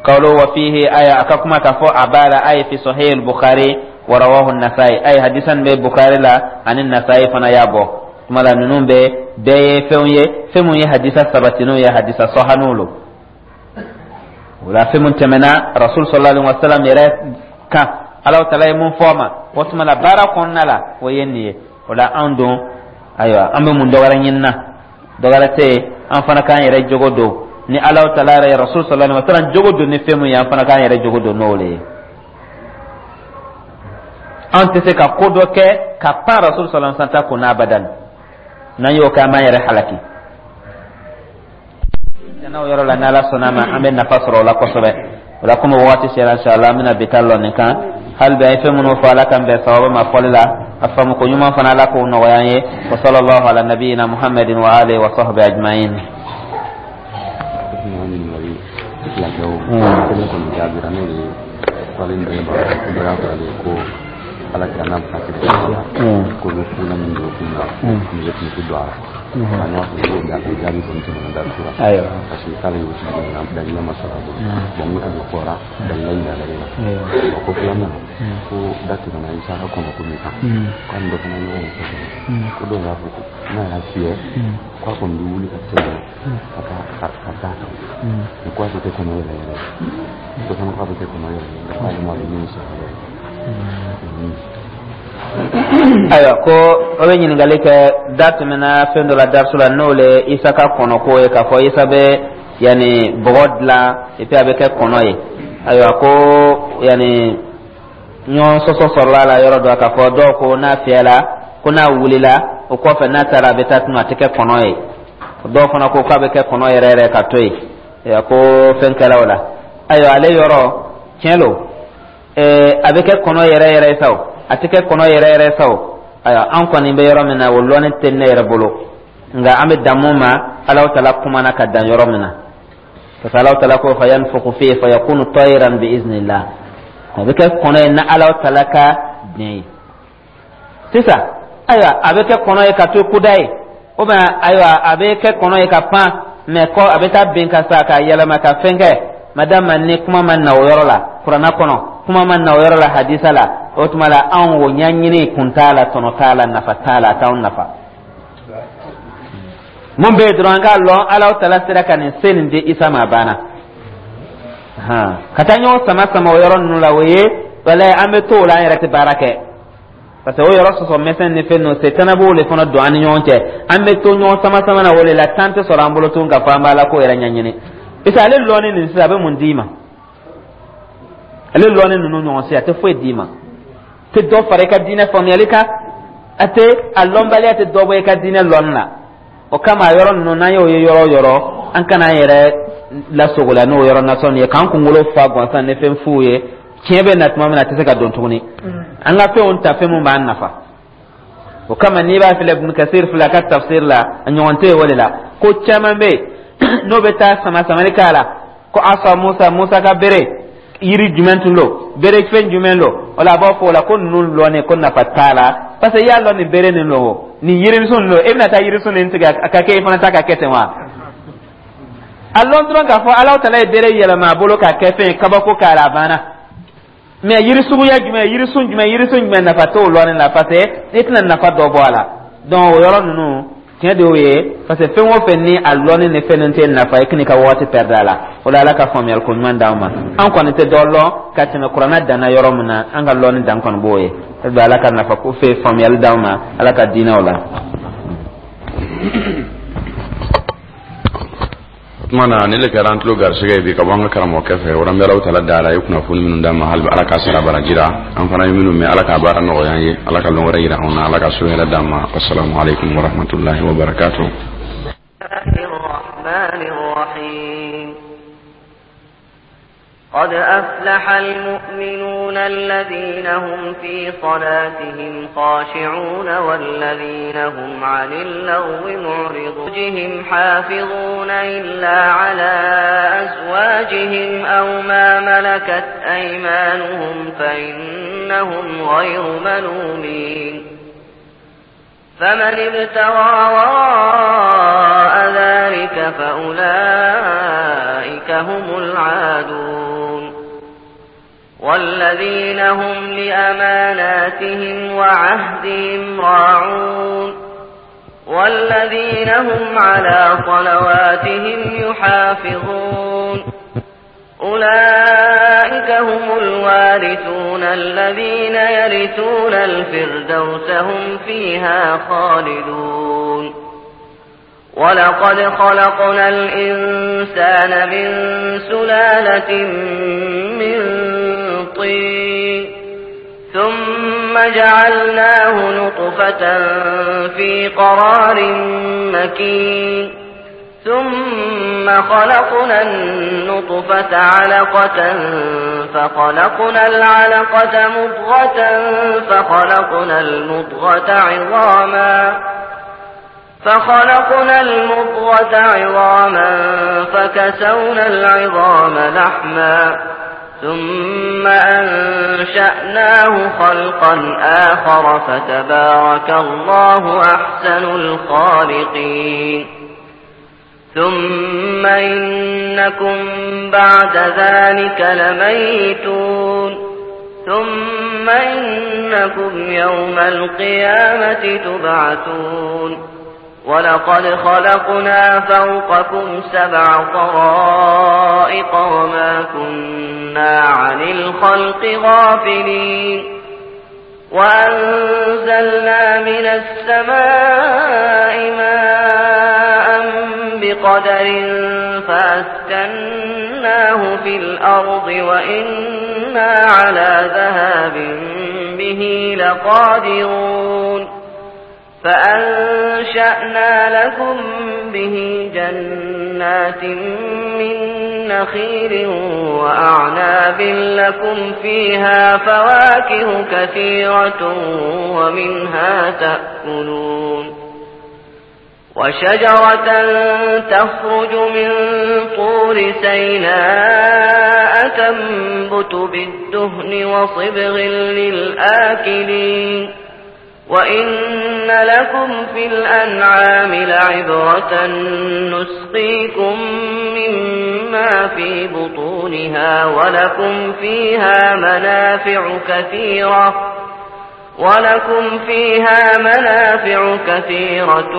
قوله وفيه آية أكاكما كفو أبالا, أي في صحيح البخاري ورواه النسائي, أي حديثا ببخاري لا عن النسائي فنا يابو. Tuma la, ninnu bɛɛ bɛɛ ye fɛnw ye, fɛn mun ye hadisa sabatiniw ye, hadisa sɔhaniw lo. O la, fɛn mun tɛmɛna Rasul sallallahu alaihi wasallam yɛrɛ kan, Ala taala ye mun fɔ a ma, o tuma la, baara kɔnɔna la, o ye nin ye. O la, anw don, ayiwa, an bɛ mun dɔ wɛrɛ ɲini na? Dɔ wɛrɛ tɛ yen, an fana k'an yɛrɛ jogo don ni Ala taala yɛrɛ ye Rasul sallallahu alaihi wasallam jogo don ni fɛn mun ye, an fana k'an yɛrɛ jogo don n'o de ye. An tɛ se ka ko dɔ kɛ ka pan Rasul sallallahu alaihi wasallam ta kunna abadan. N'an y'o kɛ, an b'an yɛrɛ halaki. N'o yɔrɔ la, n'Ala sɔnna a ma, an bɛ nafa sɔrɔ o la kosɛbɛ. O la, komi waati sera, inshallah, an bɛna bi ta lɔ nin kan. Hali bi an ye fɛn minnu fɔ, Ala k'an bɛn sababa ma fɔli la, a faamu ko ɲuman fana, Ala k'o nɔgɔya an ye. Wa sallallahu ala nabiyina Muhammadin wa alihi wa sahbihi ajma'in. Ɲininkali fila kɛ, o kelen kɔni jaabira, n'o ye fɔlen dɔ ye, dɔ y'a fɔ ale ye ko Ala kira n'a bɛ taa kɛlɛ ko bɛ fula min don kun na, muso tun tɛ don a la. An y'a fɔ ko o jaabi kɔni tɛmɛna da la. Parce que k'ale y'o sigi nka dalila ma sɔrɔ a bolo. Bon, ni a bɛ fɔra dalila yira la e la. Bon, ko filanan, ko da tɛmɛna Isa ka kɔnɔ ko min kan, k'a ni dɔ fana ɲɔgɔn ye kosɛbɛ, ko dɔw y'a fɔ ko n'a y'a fiyɛ, k'a kɔni bɛ wuli ka tɛmɛ ka taa ka taa kan, mais ko a tɛ kɛ kɔnɔ yɛrɛ yɛrɛ. Dɔ fana k'a bɛ kɛ kɔnɔ yɛrɛ yɛrɛ, k'ale ma dɔn min sɔrɔ yɛrɛ. Ayiwa, ko o bɛ ɲininkali kɛ, da tɛmɛna fɛn dɔ la darisu la, n'o le Isa ka kɔnɔko ye, k'a fɔ Isa bɛ yanni bɔgɔ dilan et puis a bɛ kɛ kɔnɔ ye. Ayiwa, ko yanni ɲɔgɔn sɔsɔ sɔrɔla a la yɔrɔ dɔ, k'a fɔ dɔw ko n'a fiyɛla, ko n'a wulila o kɔfɛ, n'a taara a bɛ taa tunu, a tɛ kɛ kɔnɔ ye. Dɔw fana ko k'a bɛ kɛ kɔnɔ yɛrɛ yɛrɛ ka to yen. Ayiwa, ko fɛn kɛla o la. Ayiwa, ale yɔrɔ tiɲɛ lo, a bɛ kɛ kɔnɔ yɛrɛ yɛrɛ ye sa o, a tɛ kɛ kɔnɔ yɛrɛ yɛrɛ sa o, ayiwa, an kɔni bɛ yɔrɔ min na, o lɔnni tɛ ne yɛrɛ bolo. Nka an bɛ dan mun ma, Alahu Taala kumana ka dan yɔrɔ min na, parce que Alahu Taala ko: fayanfuku fihi fayakunu tayran bi iznillah. A bɛ kɛ kɔnɔ ye ni Alahu Taala ka diɲɛ ye. Sisan, ayiwa, a bɛ kɛ kɔnɔ ye ka to kuda ye, ou bien ayiwa, a bɛ kɛ kɔnɔ ye ka pan, mais kɔ a bɛ taa bin ka sa ka yɛlɛma ka fɛn kɛ. Madama ni kuma ma na o yɔrɔ la Kuranna kɔnɔ, kuma ma na o yɔrɔ la hadisa la, o tuma la anw o ɲɛɲini kun t'a la, tɔnɔ t'a la, nafa t'a la, a t'anw nafa. Mun bɛ yen dɔrɔn, an k'a lɔn Alahu Taala sera ka nin se nin di Isa ma, a banna. Ka taa ɲɔgɔn sama sama o yɔrɔ ninnu la, o ye walayi, an bɛ to o la, an yɛrɛ tɛ baara kɛ, parce que o yɔrɔ sɔsɔ mɛsɛn ni fɛn ninnu, setana b'o de fana don an ni ɲɔgɔn cɛ. An bɛ to ɲɔgɔn sama sama na o de la, temps tɛ sɔrɔ an bolo tun k'a fɔ an b'a la ko yɛrɛ ɲɛɲini. Parce que ale lɔnni nin sisan, a bɛ mun d'i ma? Ale lɔnni ninnu ɲɔgɔn si a tɛ foyi d'i ma, tɛ dɔ fara i ka diinɛ faamuyali kan, a tɛ a lɔnbaliya tɛ dɔ bɔ i ka diinɛ lɔnni la. O kama a yɔrɔ ninnu, n'an y'o ye yɔrɔ o yɔrɔ, an kana an yɛrɛ lasogola n'o yɔrɔ nasɔn ye, k'an kunkolo fa gansan ni fɛn fuw ye. Tiɲɛ bɛ na tuma min na, a tɛ se ka don tuguni. An ka fɛnw ta, fɛn mun b'an nafa. O kama n'i b'a filɛ, Ibn Kasir filɛ, a ka tafsir la, a ɲɔgɔn tɛ yen o de la. Ko caman bɛ yen n'o bɛ taa sama samali k'a la, ko asa Musa, Musa ka bere yiri jumɛn tun don, bere fɛn jumɛn don o la, a b'a fɔ o la ko ninnu lɔnni ko nafa t'a la, parce que i y'a lɔn nin bere nin don o, nin yirisun nin don, e bɛna taa yirisun nin tigɛ a ka kɛ i fana ta ka kɛ ten wa? A lɔn dɔrɔn k'a fɔ Alahu Taala ye bere yɛlɛma a bolo k'a kɛ fɛn ye, kabako k'a la, a banna. Mais yiri suguya jumɛn, yirisun jumɛn, yirisun jumɛn, nafa t'o lɔnni la, parce que i tɛna nafa dɔ bɔ a la. Donc o yɔrɔ ninnu, tiɲɛ de y'o ye, parce que fɛn o fɛn ni a lɔnni ni fɛn ninnu tɛ nafa, i kan'i ka waati perdre a la. O la, Ala ka faamuyali ko ɲuman d'an ma. An kɔni tɛ dɔ lɔn ka tɛmɛ Kuranɛ danna yɔrɔ min na, an ka lɔnni dan kɔni b'o ye. Ala ka nafa ko fɛ faamuyali d'an ma Ala ka diinɛw la. O tuma na ni le kɛra an tulo garisɛgɛ ye bi ka bɔ an ka karamɔgɔkɛ fɛ. O an bɛ Alahu Taala dala ye kunnafoni minnu d'an ma, hali bi Ala k'a sara baraji ra. An fana ye minnu mɛn, Ala k'a baara nɔgɔya an ye, Ala ka lɔn wɛrɛ yira anw na, Ala ka so hɛrɛ d'an ma. Wasalamu aleykum warahmatulahi wabarakatuh. الرحمن الرحيم. قد أفلح المؤمنون الذين هم في صلاتهم خاشعون والذين هم عن اللغو معرضون حافظون إلا على أزواجهم أو ما ملكت أيمانهم فإنهم غير ملومين فمن ابتغى وراء ذلك فأولئك هم العادون والذين هم لأماناتهم وعهدهم راعون والذين هم على صلواتهم يحافظون أولئك هم الوارثون الذين يرثون الفردوس هم فيها خالدون ولقد خلقنا الإنسان من سلالة من طين ثم جعلناه نطفة في قرار مكين. ثم خلقنا النطفة علقة فخلقنا العلقة مضغة فخلقنا المضغة عظاما فكسونا العظام لحما ثم أنشأناه خلقا آخر فتبارك الله أحسن الخالقين. ثم إنكم بعد ذلك لميتون. ثم إنكم يوم القيامة تبعثون. ولقد خلقنا فوقكم 7 طرائق وما كنا عن الخلق غافلين. وأنزلنا من السماء ماء بقدر فأسكناه في الأرض وإنا على ذهاب به لقادرون. فأنشأنا لكم به جنات من نخيل وأعناب لكم فيها فواكه كثيرة ومنها تأكلون. وشجرة تخرج من طور سيناء تنبت بالدهن وصبغ للآكلين. وإن لكم في الأنعام لعبرة نسقيكم مما في بطونها ولكم فيها منافع كثيرة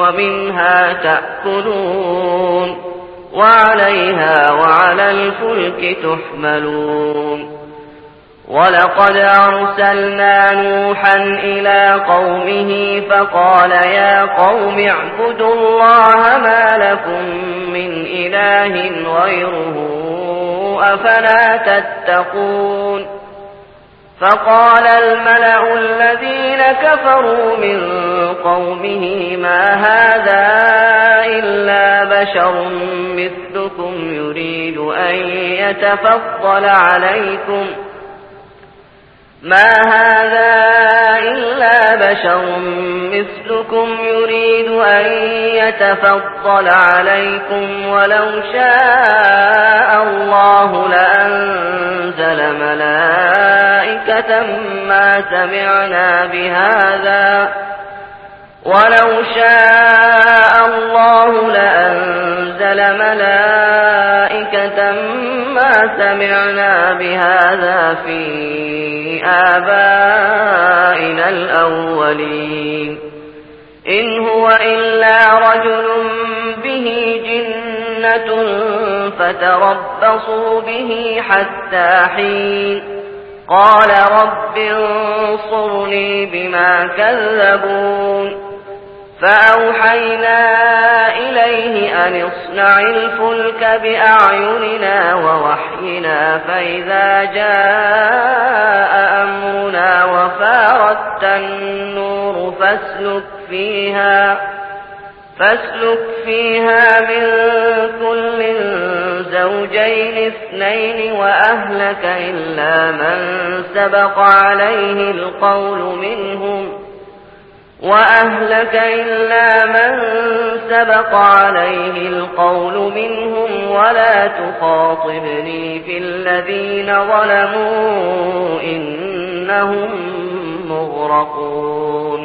ومنها تأكلون وعليها وعلى الفلك تحملون. ولقد أرسلنا نوحا إلى قومه فقال يا قوم اعبدوا الله ما لكم من إله غيره أفلا تتقون. فقال الملأ الذين كفروا من قومه ما هذا إلا بشر مثلكم يريد أن يتفضل عليكم ما هذا إلا بشر مثلكم يريد أن يتفضل عليكم ولو شاء الله لأنزل ملائكة ما سمعنا بهذا ولو شاء الله لأنزل ملائكة ما سمعنا بهذا في آبائنا الأولين. إن هو إلا رجل به جنة فتربصوا به حتى حين. قال رب انصرني بما كذبون. فأوحينا إليه أن اصنع الفلك بأعيننا ووحينا فإذا جاء أمرنا وفارت النور فاسلك فيها من كل زوجين 2 وأهلك إلا من سبق عليه القول منهم ولا تخاطبني في الذين ظلموا إنهم مغرقون.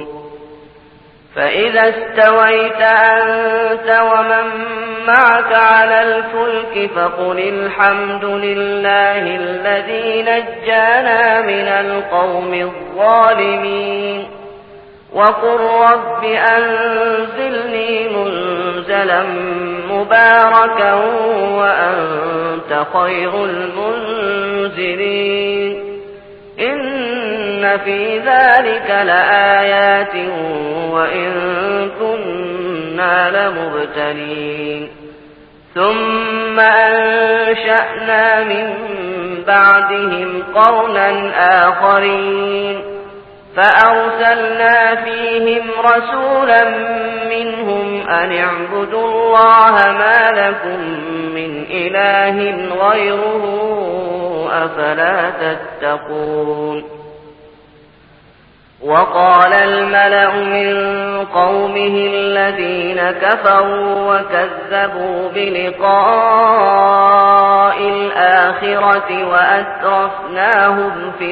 فإذا استويت أنت ومن معك على الفلك فقل الحمد لله الذي نجانا من القوم الظالمين. وقل رب أنزلني منزلا مباركا وأنت خير المنزلين. إن في ذلك لآيات وإن كنا لمبتلين. ثم أنشأنا من بعدهم قرنا آخرين. فأرسلنا فيهم رسولا منهم أن اعبدوا الله ما لكم من إله غيره أفلا تتقون. وقال الملأ من قومه الذين كفروا وكذبوا بلقاء الآخرة وأترفناهم في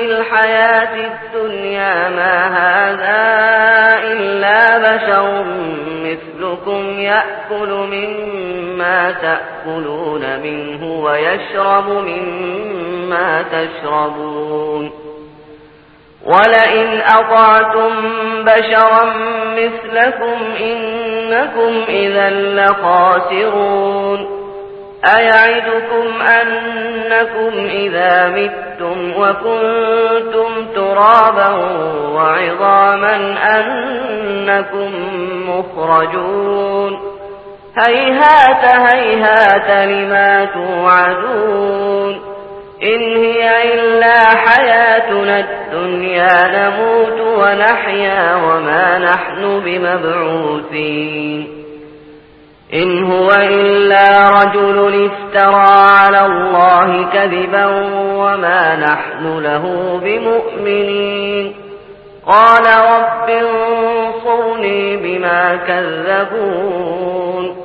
الحياة الدنيا ما هذا إلا بشر مثلكم يأكل مما تأكلون منه ويشرب مما تشربون. ولئن أطعتم بشرا مثلكم إنكم إذا لخاسرون. أيعدكم أنكم إذا متم وكنتم ترابا وعظاما أنكم مخرجون. هيهات هيهات لما توعدون. إن هي إلا حياتنا الدنيا نموت ونحيا وما نحن بمبعوثين. إن هو إلا رجل افترى على الله كذبا وما نحن له بمؤمنين. قال رب انصرني بما كذبون.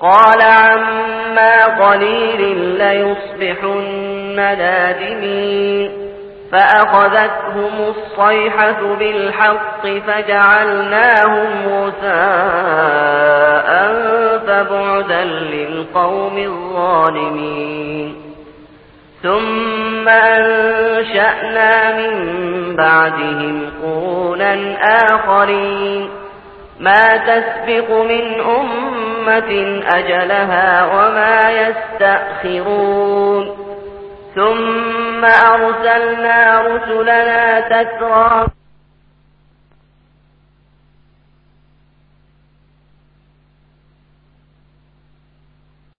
قال عما قليل ليصبحن نادمين. فأخذتهم الصيحة بالحق فجعلناهم غثاء فبعدا للقوم الظالمين. ثم أنشأنا من بعدهم قرونا آخرين. ما تسبق من أمة أجلها وما يستأخرون. ثم أرسلنا رسلنا تترى.